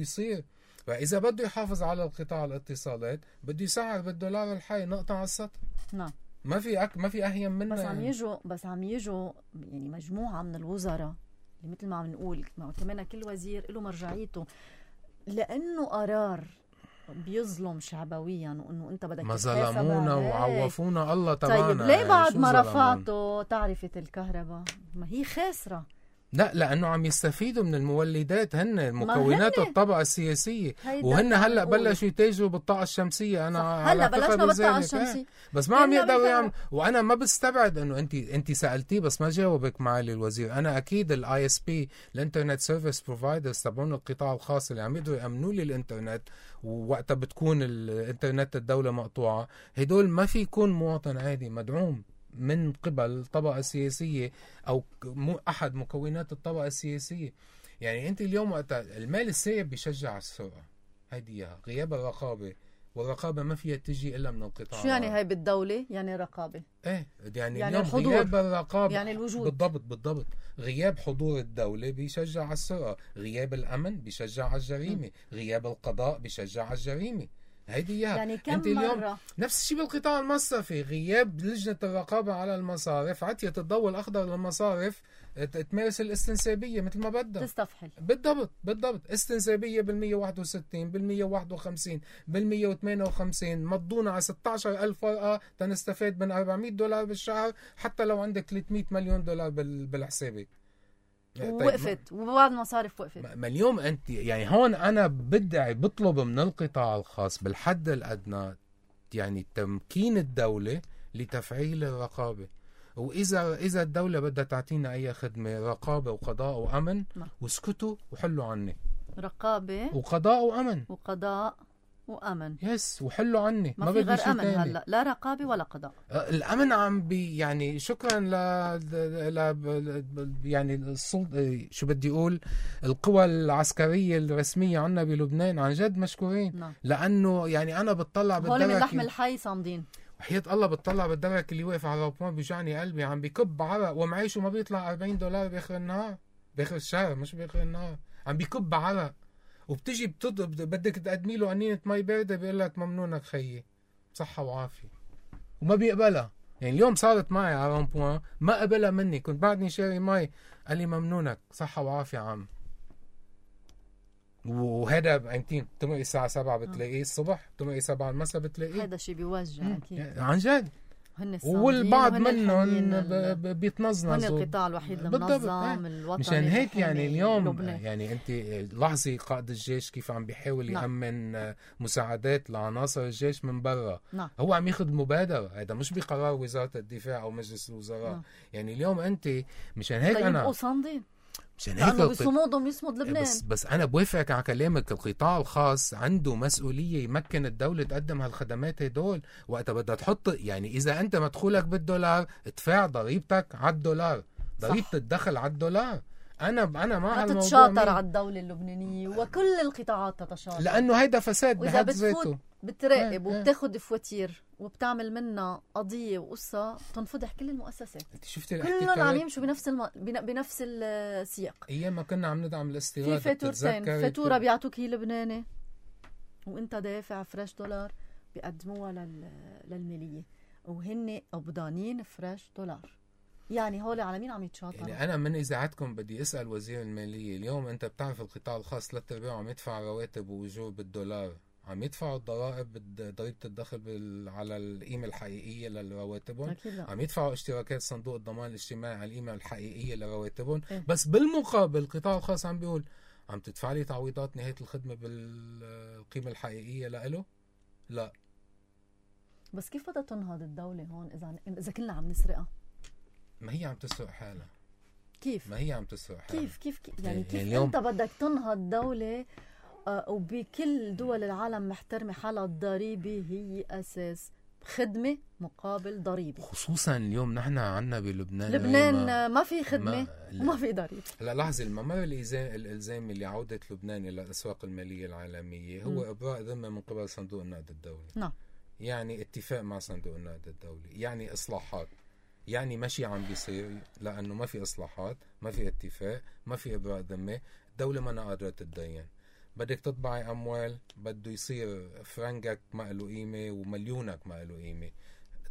يصير. فإذا بده يحافظ على القطاع الاتصالات بده يسعر بالدولار الحي، نقطة على السطر. نعم. ما في أهين منه. بس عم يجوا يعني مجموعة من الوزراء اللي مثل ما عم نقول كمان كل وزير له مرجعيته، لأنه قرار بيظلم شعبويا وانه انت بدك ما ظلمونا وعوفونا الله تبعنا. طيب ليه بعد ما رفعته تعرفة الكهرباء ما هي خاسرة؟ لا، لأنه عم يستفيدوا من المولدات، هن مكونات الطبقة السياسية، وهن هلأ بلشوا يتاجروا بالطاقة الشمسية. أنا هلا بلشنا بالطاقة الشمسية بس ما عم يقدروا يعملوا. وأنا ما بستبعد أنه أنت سألتيه بس ما جاوبك معالي الوزير. أنا أكيد الاي اس بي الانترنت سيرفيس بروفايدرز تبعون القطاع الخاص اللي عم يقدروا يأمنوا لي الانترنت ووقتها بتكون الانترنت الدولة مقطوعة، هدول ما في يكون مواطن عادي مدعوم من قبل طبقة سياسية أو أحد مكونات الطبقة السياسية. يعني أنت اليوم وقت المال السائب بيشجع السرقة، هيدي غياب الرقابة، والرقابة ما فيها تجي إلا من القطاع. شو يعني هاي بالدولة؟ يعني رقابة. يعني اليوم غياب الرقابة يعني الوجود. بالضبط. غياب حضور الدولة بيشجع على السرقة، غياب الأمن بيشجع على الجريمة، غياب القضاء بيشجع على الجريمة. هيدي يعني كم انت اليوم مرة؟ نفس الشيء بالقطاع المصرفي، غياب لجنة الرقابة على المصارف، عطية الضوء الأخضر للمصارف تمارس الاستنسابية مثل ما بدها، تستفحل. بالضبط استنسابية بال161 بال151 بال158 مضونا على 16,000 ورقة تنستفاد من $400 بالشهر، حتى لو عندك $300 مليون بالحسابك. وقفت وبعد المصارف وقفت. ما اليوم انت يعني هون انا بطلب من القطاع الخاص بالحد الادنى يعني تمكين الدولة لتفعيل الرقابة. واذا الدولة بدها تعطينا اي خدمة رقابة وقضاء وامن واسكتوا وحلوا عني. رقابة وقضاء وامن يس وحلوا عني. ما في غير امن هلا، لا رقابه ولا قضاء. الامن عم يعني شكرا يعني السلطه شو بدي اقول القوى العسكريه الرسميه عنا بلبنان عن جد مشكورين. لانه يعني انا بتطلع بالدرك، هول من لحم الحي صامدين وحياة الله، بتطلع بالدرك اللي واقف على الربمان بيوجعني قلبي، عم بيكب عرق ومعيشه ما بيطلع $40 باخر النهار، باخر الشهر مش باخر النهار، عم بيكب عرق. وبتجي بدك تقدمي له قنينة مي باردة بيقول لك ممنونك خيي صحة وعافية، وما بيقبلها. يعني اليوم صارت معي على رامبوان ما قبلها مني، كنت بعدني شاري مي قال لي ممنونك صحة وعافية عم. وهذا بقيمتين تمرقي الساعة 7 بتلاقيه الصبح، تمرقي 7 المساء بتلاقيه. هذا شيء بيوجع أكيد عن جد. والبعض منهم بيتنظنظوا. هن القطاع الوحيد المنظم الوطني. مشان هيك يعني اليوم لبنان. يعني انت لاحظي قائد الجيش كيف عم بيحاول يأمن مساعدات لعناصر الجيش من برا. هو عم ياخذ مبادرة، هذا مش بقرار وزارة الدفاع او مجلس الوزراء. يعني اليوم انت مشان هيك انا يبقوا صامدين مشان هيك بصمودهم يصمد لبنان. بس انا بوافقك على كلامك، القطاع الخاص عنده مسؤوليه يمكن الدوله تقدم هالخدمات هدول وقتها بدها تحط. يعني اذا انت مدخولك بالدولار ادفع ضريبتك على الدولار، ضريبه الدخل على الدولار. انا مع الموضوع تتشاطر على الدوله اللبنانيه وكل القطاعات تتشاطر، لانه هيدا فساد بحد ذاته. بتراقب وبتاخد فواتير وبتعمل منها قضيه وقصه تنفضح كل المؤسسات. انت شفتي كلهم عم يمشوا بنفس السياق. ايام ما كنا عم ندعم الاستيراد في فاتورتين، فاتوره بيعطوك هي لبناني وانت دافع فريش دولار بيقدموها للماليه وهن قبضانين فريش دولار. يعني هول على مين عم يتشاطروا؟ يعني انا من اذاعتكم بدي اسال وزير الماليه، اليوم انت بتعرف القطاع الخاص 3/4 عم يدفع رواتب واجور بالدولار، عم يدفعوا الضرائب ضريبه الدخل على القيمه الحقيقيه لرواتبهم، عم يدفعوا اشتراكات صندوق الضمان الاجتماعي على القيمه الحقيقيه لرواتبهم. بس بالمقابل القطاع الخاص عم بيقول عم تدفع لي تعويضات نهايه الخدمه بالقيمه الحقيقيه لإله؟ لا. بس كيف بدها تنهض الدولة هون إذا كلنا عم نسرقها؟ ما هي عم تسرق حالها. كيف؟ ما هي عم تسرق حالها. كيف يعني كيف أنت بدك تنهض دولة وبكل دول العالم محترمة حالها؟ الضريبة هي أساس، خدمة مقابل ضريبة. خصوصا اليوم نحن عنا بلبنان ما في خدمة وما في ضريبة. لا لحظة، الممر الإلزامي لعودة لبنان إلى الأسواق المالية العالمية هو إبراء ذمة من قبل صندوق النقد الدولي. نعم. يعني اتفاق مع صندوق النقد الدولي، يعني إصلاحات، يعني ماشي عم بيصير لأنه ما في إصلاحات، ما في اتفاق، ما في إبراء ذمة، الدولة ما قادرة تتدين. بدك تطبعي أموال، بده يصير فرنجك ما له قيمة ومليونك ما له قيمة.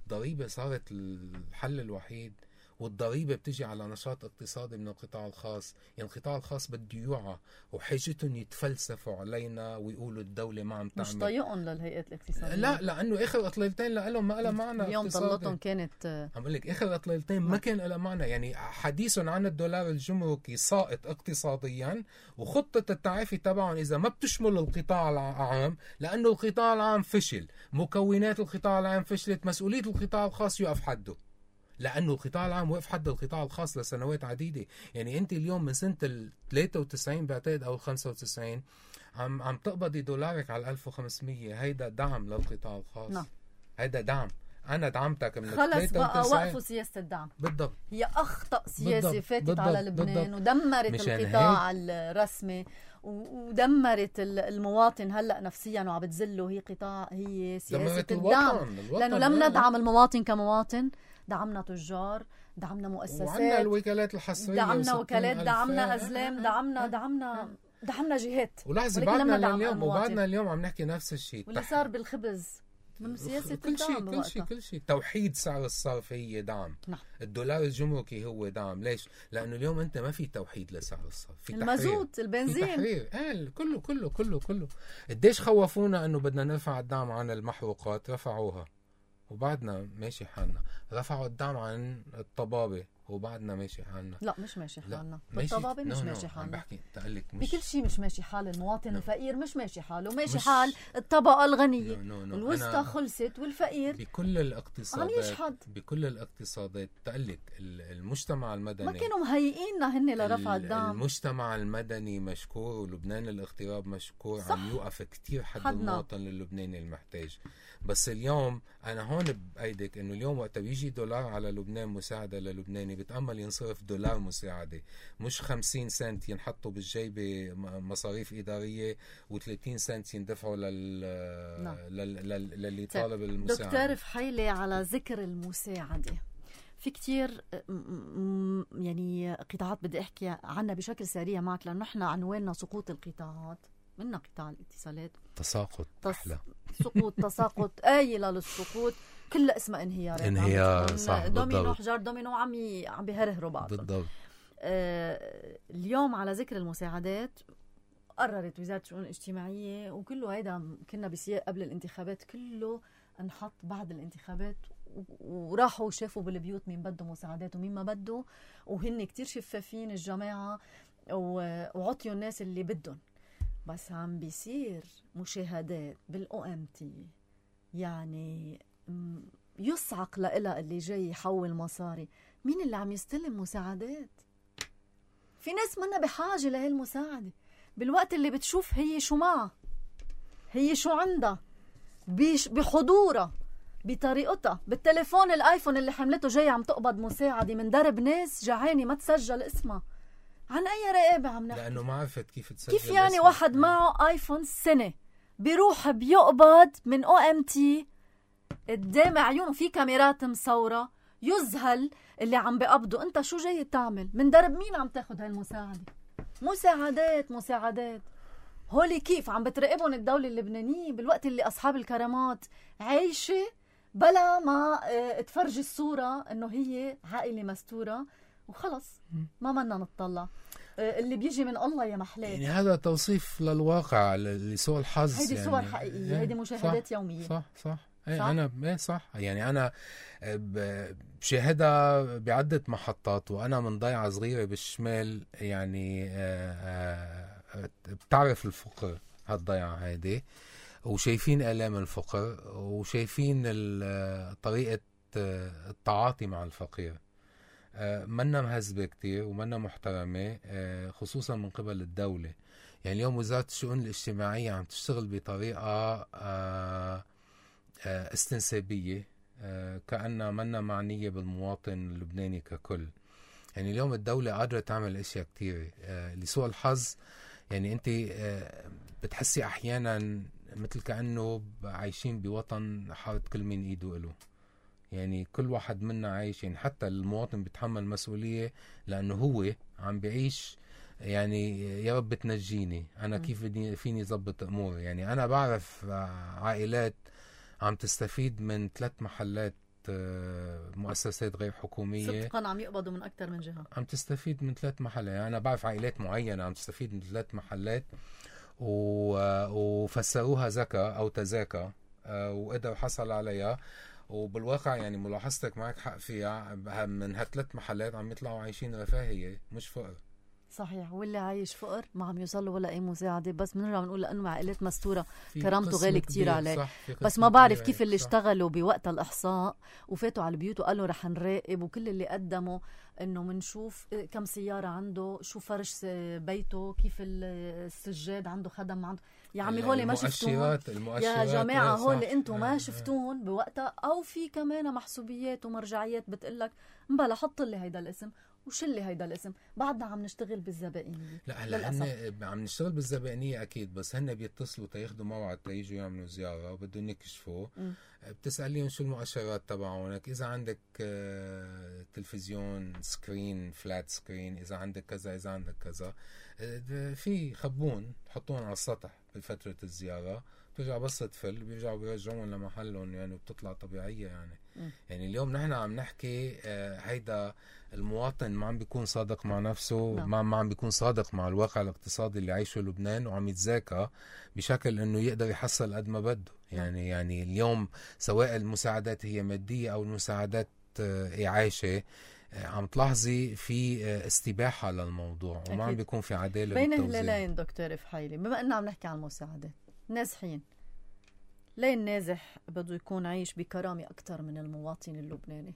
الضريبة صارت الحل الوحيد، والضريبة بتجي على نشاط اقتصادي من القطاع الخاص. يعني القطاع الخاص بده يوعى، وحاجتهم يتفلسفوا علينا ويقولوا الدولة ما عم تعمل. مش طايقهم للهيئات الاقتصادية. لا، لأنه آخر إطلالتين لهم ما لها معنى. اليوم ضلتهم كانت عم لك آخر إطلالتين ما كان لها معنى. يعني حديثهم عن الدولار الجمركي ساقط اقتصاديا، وخطة التعافي تبعهم إذا ما بتشمل القطاع العام، لأنه القطاع العام فشل، مكونات القطاع العام فشلت، مسؤولية القطاع الخاص يقف حده، لأنه القطاع العام وقف حد القطاع الخاص لسنوات عديدة. يعني أنت اليوم من سنة 93 بعتقد أو 95 عم تقبضي دولارك على 1500. هيدا دعم للقطاع الخاص. نعم. هيدا دعم. أنا دعمتك من خلص بقى وقفوا سياسة الدعم. بالضبط. هي أخطأ سياسة بالضبط. فاتت بالضبط. على لبنان. بالضبط. ودمرت القطاع الرسمي ودمرت المواطن هلأ نفسيا وعم بتزله. هي سياسة الدعم. لأنه لم ندعم المواطن كمواطن، دعمنا تجار، دعمنا مؤسسات، وعنا الوكالات الحصرية، دعمنا وكالات، دعمنا أزلام، دعمنا جهات. ولحظة بعدنا اليوم عم نحكي نفس الشيء. واللي صار بالخبز من سياسة الدعم. كل شيء. توحيد سعر الصرف هي دعم. نعم. الدولار الجمركي هو دعم. ليش؟ لأنه اليوم أنت ما في توحيد لسعر الصرف، في المازوت، البنزين، في تحرير. كله. قديش خوفونا أنه بدنا نرفع الدعم عن المحروقات، رفعوها وبعدنا ماشي حالنا. رفعوا الدعم عن الطبابة وبعدنا ماشي حالنا. لا مش ماشي حالنا. بالطبابة مش ماشي حالنا. بحكي تقلك بكل شيء مش ماشي حال المواطن. الفقير مش ماشي حاله، ماشي حال الطبقة الغنية. الوسطى خلصت والفقير بكل الاقتصادات تقلك المجتمع المدني ما كانوا مهيئيننا هن لرفع الدعم. المجتمع المدني مشكور، ولبنان الاغتراب مشكور. عم يوقف كتير حد المواطن اللبناني المحتاج. بس اليوم أنا هون بأيدك إنه اليوم وقت بيجي دولار على لبنان مساعدة للبناني، بتأمل ينصرف دولار مساعدة، مش 50 سنت ينحطوا بالجيبة مصاريف إدارية و30 سنت يندفعوا للي طالب المساعدة. دكتور فحيلة، على ذكر المساعدة، في كتير يعني قطاعات بدي أحكي عنها بشكل سريع معك، لأنه نحن عنواننا سقوط القطاعات. منا قطاع الاتصالات تساقط أحلى. سقوط، تساقط، آيلة للسقوط، كلها اسمها انهيارات. انهيار، صح. دومينو، حجار دومينو عم بيهرهروا بعض. بالضبط. اليوم على ذكر المساعدات، قررت وزارة الشؤون الاجتماعية، وكله هيدا كنا بسياق قبل الانتخابات، كله انحط بعد الانتخابات، وراحوا شافوا بالبيوت مين بده مساعدات ومين ما بده، وهن كتير شفافين الجماعة، وعطيوا الناس اللي بدهم. بس عم بيصير مشاهدات بالOMT، يعني يصعق لإلها اللي جاي يحول مصاري. مين اللي عم يستلم مساعدات؟ في ناس منا بحاجة لهي المساعدة، بالوقت اللي بتشوف هي شو معها، هي شو عندها، بحضورها، بطريقتها، بالتليفون الآيفون اللي حملته جاي عم تقبض مساعدة من درب ناس جعاني ما تسجل اسمها. عن أي رقابة عم نحكي؟ لأنه ما عرفت كيف تسجل. كيف يعني اسمه؟ واحد معه آيفون سنة بيروح بيقبض من OMT قدام عيونه، في كاميرات مصورة، يذهل اللي عم بيقبضوا. انت شو جاي تعمل؟ من درب مين عم تاخد هالمساعدة؟ مساعدات هولي كيف عم بتراقبهم الدولة اللبنانية بالوقت اللي أصحاب الكرامات عايشة بلا ما تفرجي الصورة انه هي عائلة مستورة وخلص ما بدنا نطلع. اللي بيجي من الله يا محلات. يعني هذا توصيف للواقع لسوء الحظ. هيدي يعني صور حقيقية، هيدي مشاهدات صح يومية. صح. أنا صح. يعني أنا بشاهدها بعدة محطات، وأنا من ضيعة صغيرة بالشمال، يعني بتعرف الفقر هالضيعة هيدي، وشايفين آلام الفقر وشايفين طريقة التعاطي مع الفقير. منا مهذبة كتير ومنا محترمة، خصوصا من قبل الدولة. يعني اليوم وزارة الشؤون الاجتماعية عم تشتغل بطريقة استنسابية، كأنها منا معنية بالمواطن اللبناني ككل. يعني اليوم الدولة قادرة تعمل اشياء كتير. لسوء الحظ يعني انت بتحسي احيانا مثل كأنه عايشين بوطن حاط كل من ايده له. يعني كل واحد منا عايش، يعني حتى المواطن بيتحمل مسؤولية لأنه هو عم بيعيش. يعني يا رب تنجيني أنا كيف فيني ضبط أمور. يعني أنا بعرف عائلات عم تستفيد من 3 محلات مؤسسات غير حكومية، صدقا عم يقبضوا من أكثر من جهة، عم تستفيد من 3 محلات. يعني أنا بعرف عائلات معينة عم تستفيد من 3 محلات وفسروها زكاة أو تزاكى، وقدر حصل عليها. وبالواقع يعني ملاحظتك معك حق فيها، من هالثلاث محلات عم يطلعوا عايشين رفاهية مش فقر. صحيح. واللي عايش فقر ما عم يوصل ولا اي مساعده، بس بنرجع بنقول لانه عائلات مستوره كرامته غالي كتير عليه. بس ما بعرف كيف اللي اشتغلوا بوقت الاحصاء وفاتوا على البيوت وقالوا رح نراقب، وكل اللي قدموا انه منشوف كم سياره عنده، شو فرش بيته، كيف السجاد عنده، خدم عنده. يا عمي هول ما شفتون يا جماعه، هول انتم ما شفتون بوقتها، او في كمان محسوبيات ومرجعيات بتقلك مبلا حط لي هيدا الاسم وشلي هيدا الاسم. بعدنا عم نشتغل بالزبائنية. لا هلا هن عم نشتغل بالزبائنية اكيد، بس هن بيتصلوا تاخذوا موعد تيجوا يعملوا زيارة وبدهم يكشفوا. بتسأليهم شو المؤشرات تبعونك، اذا عندك تلفزيون سكرين فلات سكرين، اذا عندك كذا، اذا عندك كذا، في خبون تحطون على السطح بفترة الزيارة، بترجع بس تفل بيرجعوا بيرجعون لمحلهم. يعني بتطلع طبيعية. يعني اليوم نحن عم نحكي هيدا المواطن ما عم بيكون صادق مع نفسه، ما عم بيكون صادق مع الواقع الاقتصادي اللي عايشه لبنان، وعم يتذاكى بشكل انه يقدر يحصل قد ما بده. يعني اليوم سواء المساعدات هي مادية او المساعدات إعاشة، عم تلاحظي في استباحة للموضوع وما عم بيكون في عدالة بين هلالين. دكتور فحيلي، بما اننا عم نحكي عن المساعدات، نازحين ليه النازح بده يكون عايش بكرامة أكتر من المواطن اللبناني؟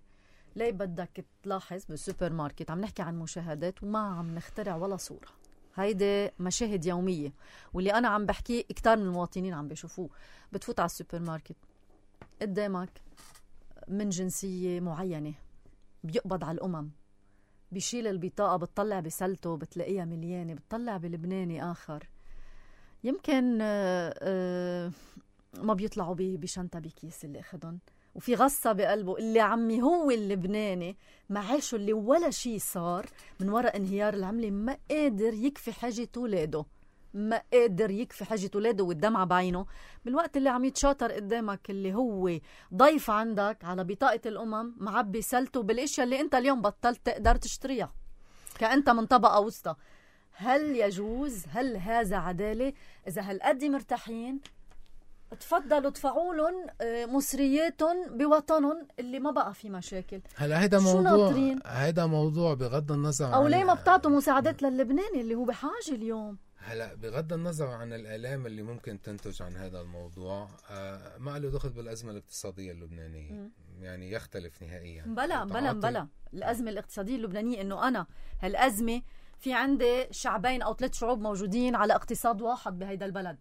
ليه بدك تلاحظ بالسوبر ماركت عم نحكي عن مشاهدات وما عم نخترع ولا صورة؟ هيدي مشاهد يومية، واللي أنا عم بحكي كتار من المواطنين عم بيشوفوه. بتفوت على السوبر ماركت قدامك من جنسية معينة بيقبض على الأمم، بيشيل البطاقة بتطلع بسلته بتلاقيها مليانة، بتطلع بلبناني آخر يمكن ما بيطلعوا بشنطة بكيس اللي أخدهم، وفي غصة بقلبه اللي عمي هو اللبناني معاشه اللي ولا شيء صار من وراء انهيار العملة، ما قادر يكفي حاجة ولاده، ما قادر يكفي حاجة ولاده والدمعة بعينه، بالوقت اللي عم يتشاطر قدامك اللي هو ضيف عندك على بطاقة الأمم معبي سلته بالاشياء اللي انت اليوم بطلت تقدر تشتريها كأنت من طبقة وسطى. هل يجوز؟ هل هذا عدالة؟ إذا هالقد مرتاحين تفضلوا ادفعوا لهم مصرياتهم بوطنهم اللي ما بقى في مشاكل. هلا هيدا موضوع بغض النظر او ليه ما بتعطوا مساعدات للبناني اللي هو بحاجه اليوم. هلا بغض النظر عن الآلام اللي ممكن تنتج عن هذا الموضوع، ما له دخل بالأزمة الاقتصادية اللبنانية. يعني يختلف نهائيا. بلا الأزمة الاقتصادية اللبنانية انه انا هالأزمة في عندي شعبين او 3 شعوب موجودين على اقتصاد واحد بهيدا البلد.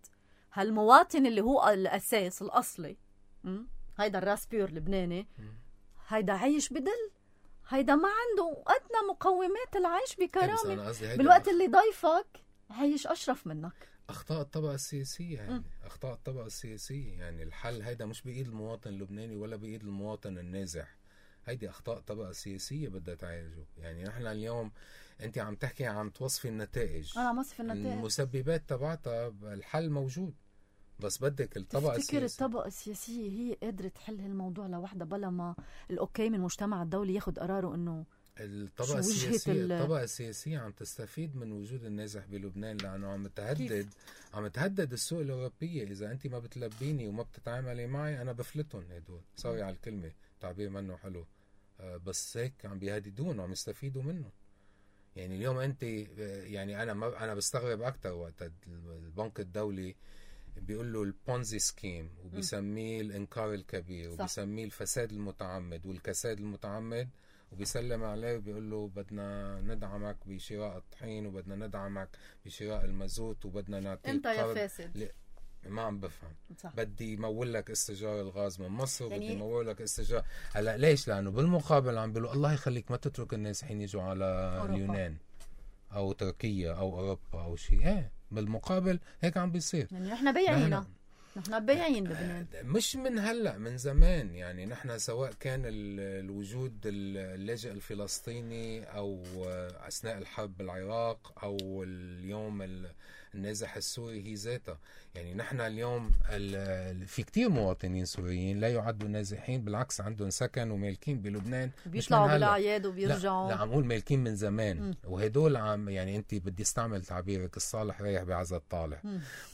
هالمواطن اللي هو الأساس الأصلي، هيدا الراس بيور لبناني، هيدا عايش بدل، هيدا ما عنده أدنى مقومات العيش بكرامة، بالوقت اللي ضيفك عايش أشرف منك. أخطاء الطبقة السياسية يعني أخطاء الطبقة السياسية. يعني الحل هيدا مش بإيد المواطن اللبناني ولا بإيد المواطن النازح، هيدي أخطاء الطبقة السياسية بدها تعالجه. يعني نحن اليوم أنت عم تحكي عم توصفي النتائج، أنا وصف النتائج، المسببات تبعتها، الحل موجود، بس بدك الطبقة السياسية. تفتكر الطبقة السياسية هي قادرة تحل هالموضوع لوحدها بلا ما الأوكي من المجتمع الدولي ياخد قراره إنه الطبقة السياسية عم تستفيد من وجود النازح بلبنان، لأنه عم تهدد السوق الأوروبية. إذا أنت ما بتلبيني وما بتتعاملي معي أنا بفلتهم هدول، سوري على الكلمة، تعبير منه حلو، بس هيك عم بيهددون وعم يستفيدوا منه. يعني اليوم أنت يعني أنا بستغرب أكتر وقت البنك الدولي بيقول له البونزي سكيم، وبيسميه الإنكار الكبير، وبيسميه الفساد المتعمد والكساد المتعمد، وبيسلم عليه وبيقول له بدنا ندعمك بشراء الطحين، وبدنا ندعمك بشراء المازوت، وبدنا نعطيك انت يا فاسد. ما عم بفهم. صح. بدي يمول لك استئجار الغاز من مصر، وبدي يمول لك استئجار. هلا ليش؟ لانه بالمقابل عم بيقولوا الله يخليك ما تترك الناسحين يجوا على أوروبا. اليونان او تركيا او اوروبا او شيء. بالمقابل هيك عم بيصير. يعني نحن بياعين، نحن بياعين لبنان، مش من هلا، من زمان. يعني نحن سواء كان الوجود اللاجئ الفلسطيني او اثناء الحرب بالعراق او اليوم النازح السوري هي ذاتها. يعني نحن اليوم في كتير مواطنين سوريين لا يعدوا نازحين، بالعكس عندهم سكن ومالكين بلبنان، بيطلعوا بالاعياد وبيرجعوا. لا عم قول مالكين من زمان. وهدول عم يعني انت بدي استعمل تعبيرك الصالح رايح بعزة الطالح.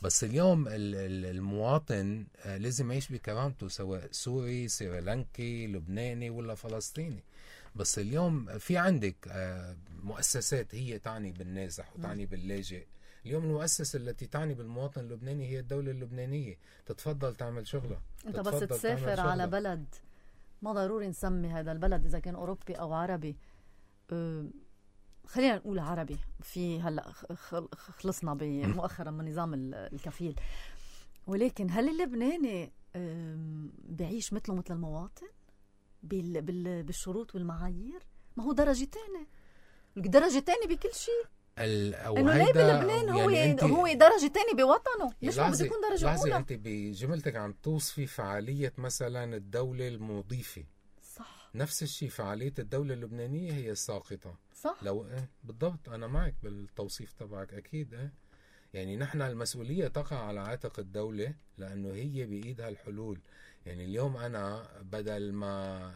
بس اليوم المواطن لازم يعيش بكرامته، سواء سوري، سريلانكي، لبناني ولا فلسطيني. بس اليوم في عندك مؤسسات هي تعني بالنازح وتعني باللاجئ. اليوم المؤسسة التي تعني بالمواطن اللبناني هي الدولة اللبنانية. تتفضل تعمل شغلة. انت بس تسافر على بلد، ما ضروري نسمي هذا البلد إذا كان أوروبي أو عربي، خلينا نقول عربي. في هلأ خلصنا مؤخرا من نظام الكفيل، ولكن هل اللبناني بيعيش مثله مثل المواطن بالشروط والمعايير؟ ما هو درجة تاني بكل شيء. انه ليه بلبنان هو درجة تاني بوطنه، ليش ما بده يكون درجة أولى؟ انت بجملتك عم توصفي فعالية مثلا الدولة المضيفة. صح. نفس الشيء فعالية الدولة اللبنانية هي الساقطة. صح. لو بالضبط انا معك بالتوصيف تبعك اكيد. يعني نحن المسؤولية تقع على عاتق الدولة، لانه هي بايدها الحلول. يعني اليوم انا بدل ما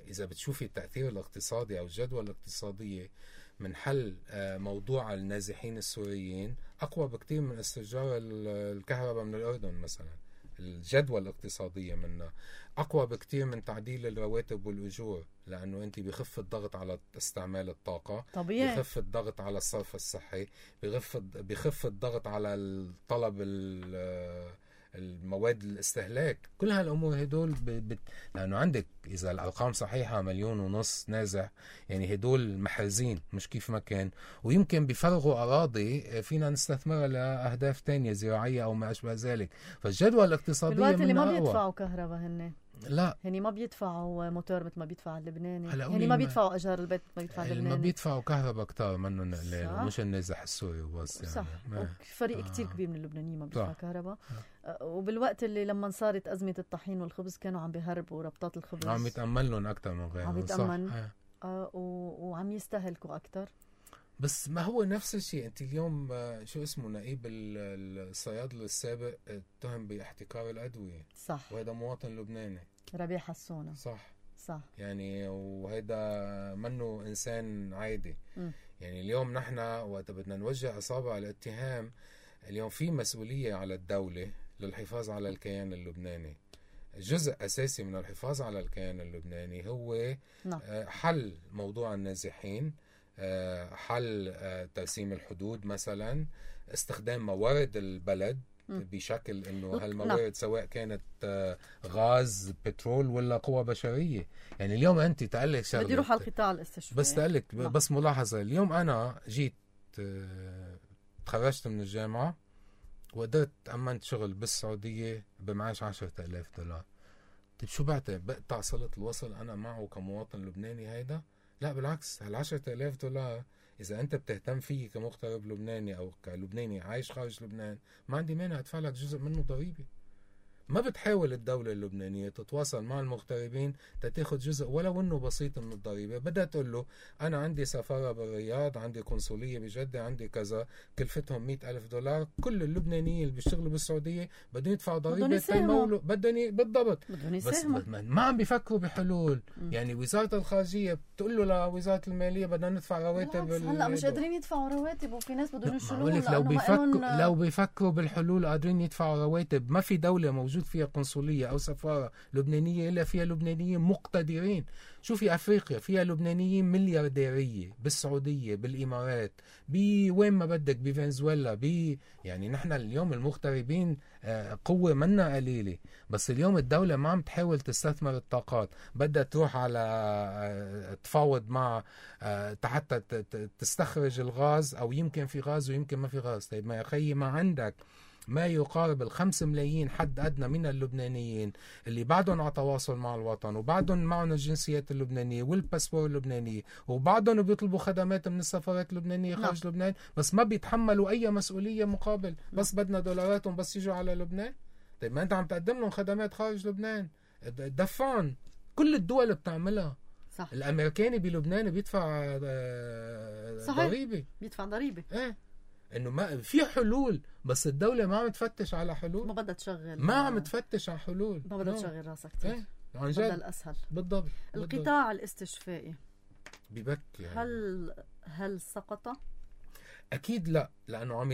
اذا بتشوفي التأثير الاقتصادي او الجدوى الاقتصادية من حل موضوع النازحين السوريين أقوى بكتير من استئجار الكهرباء من الأردن مثلا. الجدوى الاقتصادية منها أقوى بكتير من تعديل الرواتب والأجور، لأنه أنت بيخف الضغط على استعمال الطاقة طبيعي، بيخف الضغط على الصرف الصحي، بيخف الضغط على الطلب المواد الاستهلاك. كل هالأمور هدول لأنه عندك إذا الأرقام صحيحة 1.5 مليون نازح، يعني هدول محرزين مش كيف ما كان، ويمكن بيفرغوا أراضي فينا نستثمرها لأهداف تانية زراعية أو ما أشبه ذلك. فالجدوى الاقتصادية بالوقت اللي ما بيدفعوا كهرباء هن، لا يعني ما بيدفعوا موتور مثل ما بيدفع اللبناني، يعني ما بيدفعوا أجار البيت مثل ما بيدفع اللبناني، ما بيدفعوا كهرباء كتار منهم مش النازح السوري وبس. يعني صح. فريق كتير كبير من اللبنانيين ما بيدفع كهرباء. وبالوقت اللي لما صارت أزمة الطحين والخبز كانوا عم بيهربوا ربطات الخبز، عم يتأمل لهم أكتر من غيرهم، عم يتأمل وعم يستهلكوا أكتر. بس ما هو نفس الشيء. انت اليوم شو اسمه نقيب الصيادله السابق اتهم باحتكار الادويه. صح. وهذا مواطن لبناني، ربيع حسونه. صح. يعني وهذا منه انسان عادي. يعني اليوم نحن وقت بدنا نوجه اصابع الاتهام، اليوم في مسؤوليه على الدوله للحفاظ على الكيان اللبناني. جزء اساسي من الحفاظ على الكيان اللبناني هو حل موضوع النازحين، حل ترسيم الحدود مثلا، استخدام موارد البلد بشكل انه هالموارد سواء كانت غاز، بترول ولا قوى بشريه. يعني اليوم انت تقلك شغله، بدي اروح على القطاع الاستشفائي، بس تقلك بس ملاحظه. اليوم انا جيت تخرجت من الجامعه وقدرت امنت شغل بالسعوديه بمعاش $10,000. طيب شو بقطع صلة الوصل انا معه كمواطن لبناني؟ هيدا لا، بالعكس. $10,000 إذا أنت بتهتم فيه كمغترب لبناني أو كلبناني عايش خارج لبنان، ما عندي مانع أدفع لك جزء منه ضريبة. ما بتحاول الدولة اللبنانية تتواصل مع المغتربين تاخد جزء ولو انه بسيط من الضريبة. بدها تقول له انا عندي سفارة بالرياض، عندي قنصلية بجدة، عندي كذا، كلفتهم $100,000. كل اللبنانيين اللي بيشتغلوا بالسعودية بدهم يدفعوا ضريبة تيمولوا، بالضبط. بس ما عم بيفكروا بحلول. يعني وزارة الخارجية بتقول له لوزارة المالية بدنا ندفع رواتب. هلا مش قادرين يدفعوا رواتب، وفي ناس بدهم يشيلوهم. لو بيفكروا بالحلول قادرين يدفعوا رواتب. ما في دولة موجود فيها قنصلية أو سفارة لبنانية إلا فيها لبنانيين مقتدرين. شوفي أفريقيا فيها لبنانيين مليارديرية، بالسعودية، بالإمارات، بوين ما بدك، بفنزويلا، يعني نحن اليوم المغتربين قوة منا قليلة، بس اليوم الدولة ما عم تحاول تستثمر الطاقات، بدها تروح على تفاوض مع حتى تستخرج الغاز، أو يمكن في غاز ويمكن ما في غاز. طيب ما يا خيي، ما عندك ما يقارب 5 ملايين حد أدنى من اللبنانيين اللي بعدهم على تواصل مع الوطن، وبعدهم معهم الجنسيات اللبنانية والباسبور اللبناني، وبعدهم بيطلبوا خدمات من السفارات اللبنانية خارج لبنان، بس ما بيتحملوا أي مسؤولية مقابل، بس بدنا دولاراتهم بس يجوا على لبنان. طيب ما أنت عم تقدم لهم خدمات خارج لبنان، دفعهم. كل الدول بتعملها. صح. الأمريكاني بلبنان بيدفع ضريبة، بيدفع ضريبة. انه ما في حلول، بس الدولة ما عم تفتش على حلول، ما بدها تشغل، ما عم تفتش على حلول، ما بدها تشغل راسها كتير. عن جد بدها الأسهل. بالضبط. القطاع الاستشفائي ببكي هل سقط؟ أكيد لا، لأنه عم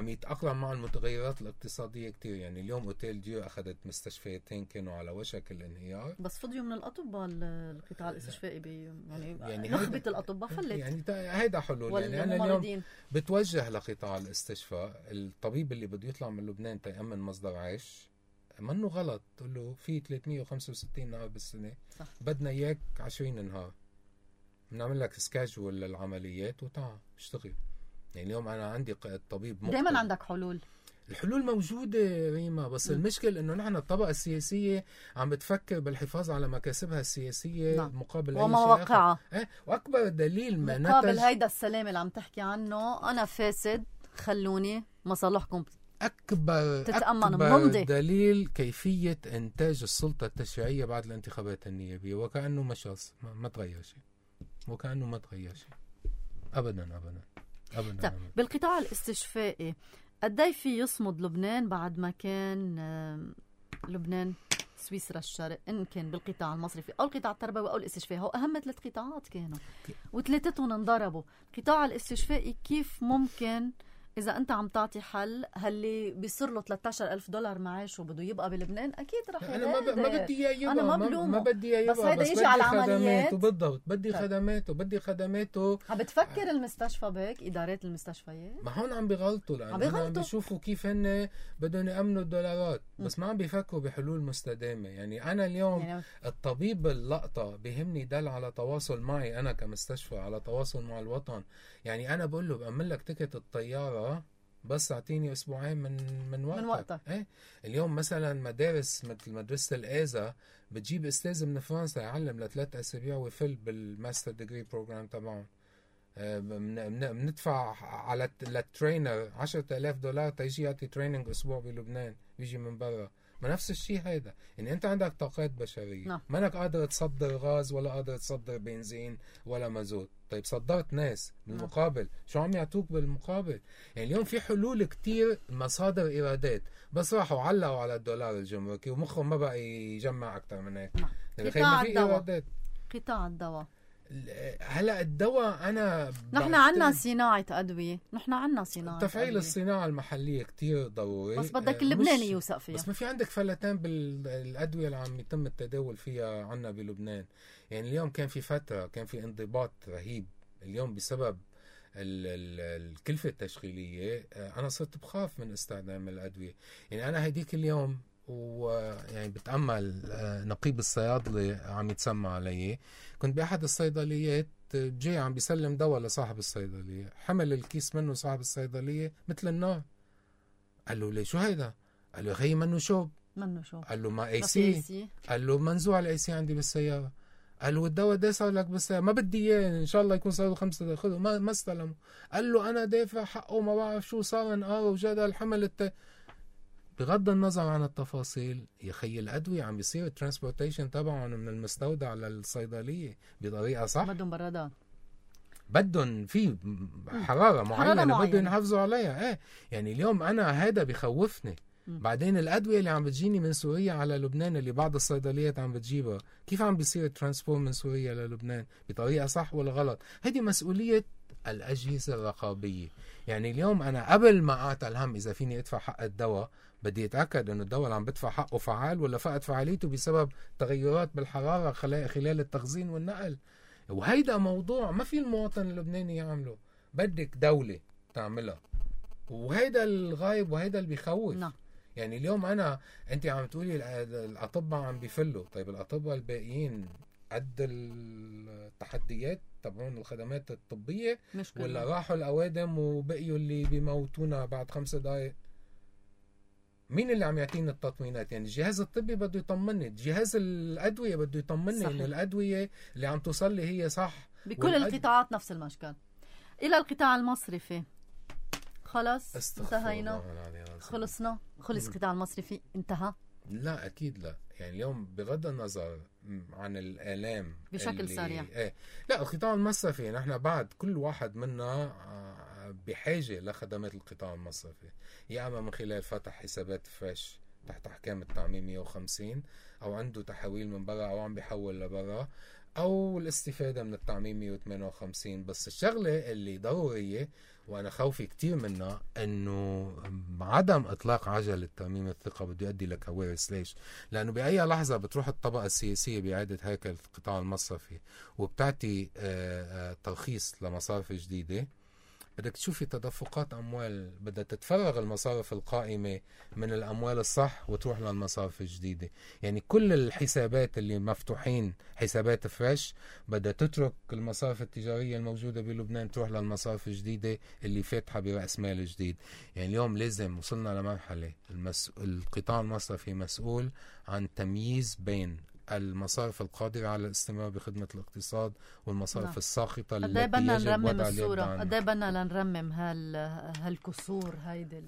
يتأقلم مع المتغيرات الاقتصادية كتير. يعني اليوم أوتيل ديو أخذت مستشفيتين كانوا على وشك الانهيار، بس فضيوا من الأطباء القطاع الاستشفائي، يعني نخبة الأطباء فلت. يعني هيدا حلول. يعني أنا اليوم بتوجه لقطاع الاستشفاء. الطبيب اللي بده يطلع من لبنان تيأمن مصدر عيش، منه غلط تقول له في 365 نهار بالسنة، صح. بدنا إياك 20 نهار، بنعمل لك سكاجول للعمليات وتعال اشتغل. يعني اليوم أنا عندي طبيب دائما عندك حلول. الحلول موجودة ريما، بس المشكل إنه نحن الطبقة السياسية عم بتفكر بالحفاظ على مكاسبها السياسية مقابل أي شيء ومواقعها. وأكبر دليل ما مقابل هيدا السلام اللي عم تحكي عنه، أنا فاسد خلوني مصالحكم أكبر دليل كيفية إنتاج السلطة التشريعية بعد الانتخابات النيابية، وكأنه ما تغير شيء، وكأنه ما تغير شيء أبدا. بالقطاع الاستشفائي قدي في يصمد لبنان بعد ما كان لبنان سويسرا الشرق، إن كان بالقطاع المصرفي أو القطاع التربوي أو الاستشفائي؟ هو أهم 3 قطاعات كانوا وثلاثتهم انضربوا. القطاع الاستشفائي كيف ممكن إذا أنت عم تعطي حل هاللي بيصير له $13,000 معاش وبده يبقى بلبنان؟ أكيد رح أنا ما بدي إياه يبقى، أنا ما بدي إياه يبقى، بس هيدا يجي على العمليات. بالضبط، بدي خدماته. عم بتفكر المستشفى بهيك، إدارات المستشفيات؟ ما هون عم بيغلطوا، لأنه عم بيشوفوا كيف هن بدهم يأمنوا الدولارات، بس ما عم بيفكروا بحلول مستدامة. يعني أنا اليوم الطبيب اللقطة بيهمني دل على تواصل معي أنا كمستشفى، على تواصل مع الوطن. يعني أنا بقول له بأمن لك تيكت الطيارة بس اعطيني اسبوعين من وقتك. اليوم مثلا مدارس مثل مدرسة الآزا بتجيب استاذ من فرنسا يعلم ل3 أسابيع ويفل بالماستر ديجري بروجرام تبعهم. بندفع على الترينر $10,000 تيجي يعطي تريننج اسبوع بلبنان، بيجي من برا. ما نفس الشيء هيدا. يعني انت عندك طاقات بشرية، ما انك قادر تصدر غاز ولا قادر تصدر بنزين ولا مازوت. طيب صدرت ناس بالمقابل، شو عم يعطوك بالمقابل؟ يعني اليوم في حلول كتير، مصادر إيرادات، بس راحوا علقوا على الدولار الجمركي ومخهم ما بقى يجمع أكتر من هيك. قطاع الدواء هلا الدواء نحن عنا صناعة أدوية، تفعيل الصناعة المحلية كتير ضروري، بس بدك اللبناني يوثق فيها. بس ما في عندك فلتان بالأدوية اللي عم يتم التداول فيها عنا بلبنان. يعني اليوم كان في فترة كان في انضباط رهيب، اليوم بسبب الكلفة التشغيلية أنا صرت بخاف من استخدام الأدوية. يعني أنا هديك اليوم ويعني بتأمل نقيب الصيادلة عم يتسمى علي، كنت بأحد الصيدليات جاي عم بيسلم دواء لصاحب الصيدلية، حمل الكيس منه صاحب الصيدلية مثل النار. قال له ليه شو هيدا؟ قال له خيي منه شوب. قال له ما اي سي. قال له منزوع الاي سي عندي بالسيارة. قال له الدواء ده صار لك بالسيارة، ما بدي اياه، ان شاء الله يكون صار له 5 دقائق، خذه. ما استلمه. قال له انا دافع حقه، ما بعرف شو صار، انقار وجدل حمل بغض النظر عن التفاصيل. يا خي الأدوية عم بيصير الترانسبورتيشن تبعهم من المستودع للصيدلية بطريقة صح. بدهم برادات، بدهم في حرارة معينة بدهم يحافظوا عليها. يعني اليوم أنا هذا بيخوفني. بعدين الأدوية اللي عم بتجيني من سوريا على لبنان اللي بعض الصيدليات عم بتجيبها، كيف عم بيصير الترانسبور من سوريا للبنان بطريقة صح ولا غلط؟ هذه مسؤولية الأجهزة الرقابية. يعني اليوم أنا قبل ما أعطى الهم إذا فيني أدفع حق الدواء، بدي اتاكد انه الدواء اللي عم بدفع حقه فعال ولا فقد فعاليته بسبب تغيرات بالحراره خلال التخزين والنقل. وهيدا موضوع ما في المواطن اللبناني يعمله، بدك دولة تعملها، وهيدا الغايب وهيدا اللي بيخوف. نعم. يعني اليوم انت عم تقولي الاطباء عم بيفلوا، طيب الاطباء الباقيين قد التحديات تبعون الخدمات الطبية مشكلة. ولا راحوا الأوادم وبقيوا اللي بيموتونا بعد 5 دقايق؟ مين اللي عم يعطينا التطمينات؟ يعني الجهاز الطبي بده يطمني، جهاز الأدوية بده يطمني إنه الأدوية اللي عم توصل لي هي صح. بكل القطاعات نفس المشكل. إلى القطاع المصرفي خلص انتهينا، خلصنا، خلص القطاع المصرفي انتهى؟ لا أكيد لا. يعني اليوم بغض النظر عن الآلام بشكل سريع، لا القطاع المصرفي نحن بعد كل واحد منا بحاجة لخدمات القطاع المصرفي، يا أما من خلال فتح حسابات فريش تحت أحكام التعميم 150، أو عنده تحويل من برا أو عم بيحول لبرا، أو الاستفادة من التعميم 158. بس الشغلة اللي ضرورية وأنا خوفي كتير منها إنه عدم إطلاق عجلة ترميم الثقة بده يؤدي لكوارث. ليش؟ لأنه بأي لحظة بتروح الطبقة السياسية بإعادة هيكل القطاع المصرفي وبتعطي ترخيص لمصارف جديدة، بدك تشوفي تدفقات أموال، بدها تتفرغ المصارف القائمة من الأموال الصح وتروح للمصارف الجديدة. يعني كل الحسابات اللي مفتوحين حسابات فريش بدها تترك المصارف التجارية الموجودة بلبنان تروح للمصارف الجديدة اللي فاتحة برأس مال جديد. يعني اليوم لازم وصلنا لمرحلة القطاع المصرفي مسؤول عن تمييز بين المصارف القادرة على الاستمرار بخدمة الاقتصاد والمصارف الساقطة التي يجب وضع اليد عنها. قد ايه بدنا لنرمم هالكسور هيدي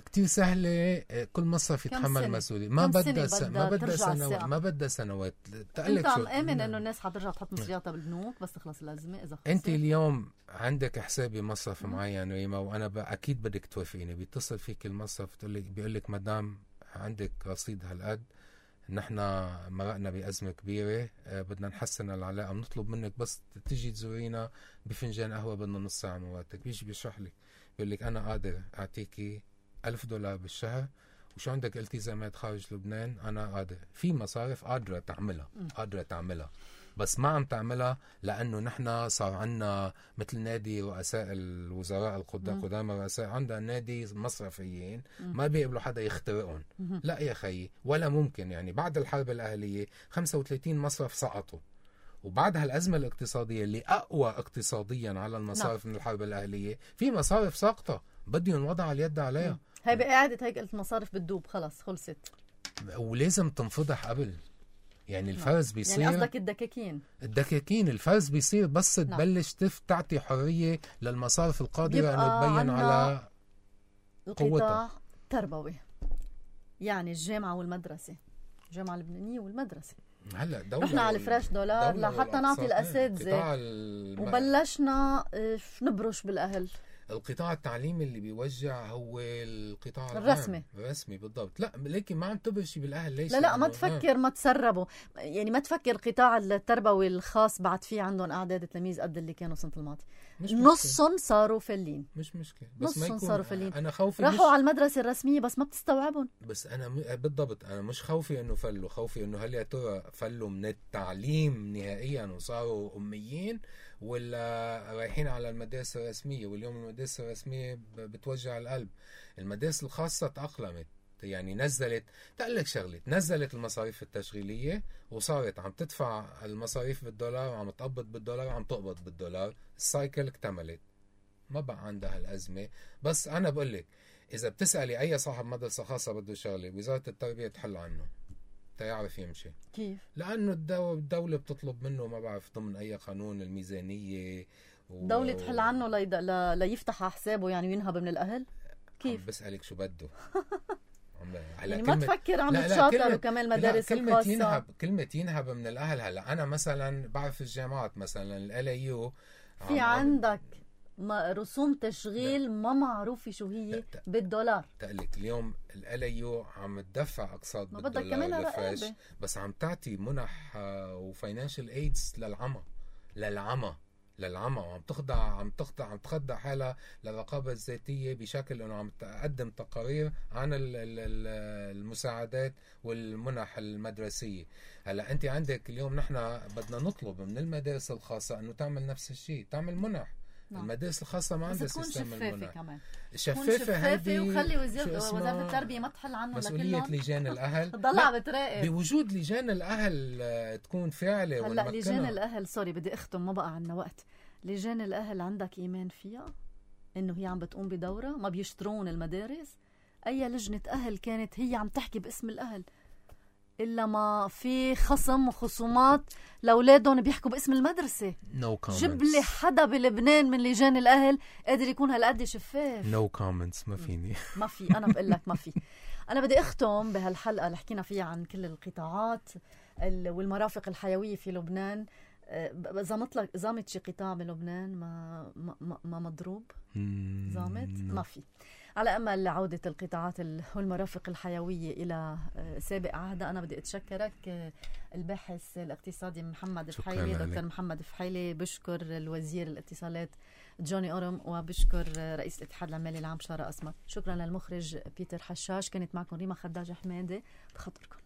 كتير سهلة. كل مصرف يتحمل مسؤولية. ما بدها سنوات. انت عم امن انه الناس حترجع تحط مصرياتها بالبنوك بس تخلص الازمة اذا خلصت. انت اليوم عندك حساب بمصرف معين ريما، وانا اكيد بدك توافقيني، بيتصل فيك المصرف بيقول لك مدام عندك رصيد هالقد، نحن مرقنا بأزمة كبيرة، بدنا نحسن العلاقة، بنطلب منك بس تيجي تزورينا بفنجان قهوة، بدنا نص ساعة مواتك. بيجي بيشرح لك بيقول لك أنا قادر أعطيكي $1000 بالشهر، وشو عندك التزامات خارج لبنان؟ أنا قادر. في مصارف قادرة تعملها بس ما عم تعملها لأنه نحن صار عنا مثل نادي رؤساء الوزراء قدام الرؤساء، عندنا نادي مصرفيين ما بيقبلوا حدا يخترقهم. لا يا خيي، ولا ممكن. يعني بعد الحرب الأهلية 35 مصرف سقطوا، وبعد هالأزمة الاقتصادية اللي أقوى اقتصاديا على المصارف من الحرب الأهلية، في مصارف ساقطة بدهم وضع اليد عليها. هاي بإعادة هيكلة المصارف بتدوب، خلص خلصت، ولازم تنفضح قبل. يعني الفرز بيصير، يعني قصدك الدكاكين الفرز بيصير بس تبلش تعطي حرية للمصارف القادرة انه تبين على قوتها. تربوي يعني الجامعة والمدرسة، الجامعة اللبنانية والمدرسة، هلا رحنا على الفريش دولار لحتى نعطي الأساتذة وبلشنا نبرش بالأهل. القطاع التعليمي اللي بيوجع هو القطاع الرسمي بالضبط. لا لكن ما عم تبرشي بالاهل. ليش؟ لا ما تفكر ما تسربوا. يعني ما تفكر القطاع التربوي الخاص بعد في عندهم اعداد تلاميذ قد اللي كانوا السنه الماضيه، نصهم صاروا فلين. مش مشكله، بس نصهم صاروا فلين. انا خوفي راحوا على المدرسه الرسميه بس ما بتستوعبهم. بس انا بالضبط انا مش خوفي انه فلوا، خوفي انه هل يا ترى فلوا من التعليم نهائيا وصاروا اميين، ولا رايحين على المدارس الرسميه. واليوم المدارس الرسميه بتوجع القلب. المدارس الخاصه تأقلمت، يعني نزلت المصاريف التشغيليه وصارت عم تدفع المصاريف بالدولار وعم تقبض بالدولار وعم تقبض بالدولار. السايكل اكتملت، ما بقى عندها الازمه. بس انا بقول لك اذا بتسالي اي صاحب مدرسه خاصه بده شغله، وزاره التربيه تحل عنه تيعرف يمشي. كيف؟ لانه الدوله بتطلب منه، ما بعرف ضمن اي قانون، الميزانيه الدوله تحل عنه ليفتح حسابه يعني وينهب من الاهل. كيف؟ عم بسالك شو بده. يعني ما تفكر عم تشاطر وكمان المدارس الخاصة. كلمة ينهب من الأهل. هلا أنا مثلا بعرف الجامعات مثلا LAU في عندك رسوم تشغيل ما معروفة شو هي بالدولار. تقلك اليوم LAU عم تدفع أقساط بالدولار بس عم تعطي منح وفاينانشال ايدز للعمى. للعمى، وعم تخضع حالها للرقابة الذاتية بشكل انه عم تقدم تقارير عن المساعدات والمنح المدرسية. هلا انت عندك اليوم نحن بدنا نطلب من المدارس الخاصة انه تعمل نفس الشيء، تعمل منح. المدارس الخاصة ما عندها سيستم المنح. كمان شفافة هيدي، وخلي وزارة التربية ما تحل عنه مسؤولية لجان الأهل. ضلع بتراقب بوجود لجان الأهل تكون فاعلة. هلا لجان الأهل بدي أختم، ما بقى عنا وقت. لجان الأهل عندك إيمان فيها إنه هي عم بتقوم بدورة؟ ما بيشترون المدارس؟ أي لجنة أهل كانت هي عم تحكي باسم الأهل إلا ما في خصومات لأولادهم بيحكوا باسم المدرسة. جيب لي حدا بلبنان من لجان الأهل قادر يكون هالقد شفاف. ما فيني. ما في، أنا بقول لك ما في. أنا بدي أختم بهالحلقة اللي حكينا فيها عن كل القطاعات والمرافق الحيوية في لبنان. زامت شي قطاع بلبنان ما مضروب؟ زامت؟ ما في. على أمل عودة القطاعات والمرافق الحيوية إلى سابق عهدها. أنا بدي أتشكرك الباحث الاقتصادي محمد فحيلي، دكتور محمد فحيلي. بشكر الوزير الاتصالات جوني أورم، وبشكر رئيس الاتحاد العمالي العام شارة أسمر. شكرا للمخرج بيتر حشاش. كانت معكم ريما خداج حمادة. بخطركم.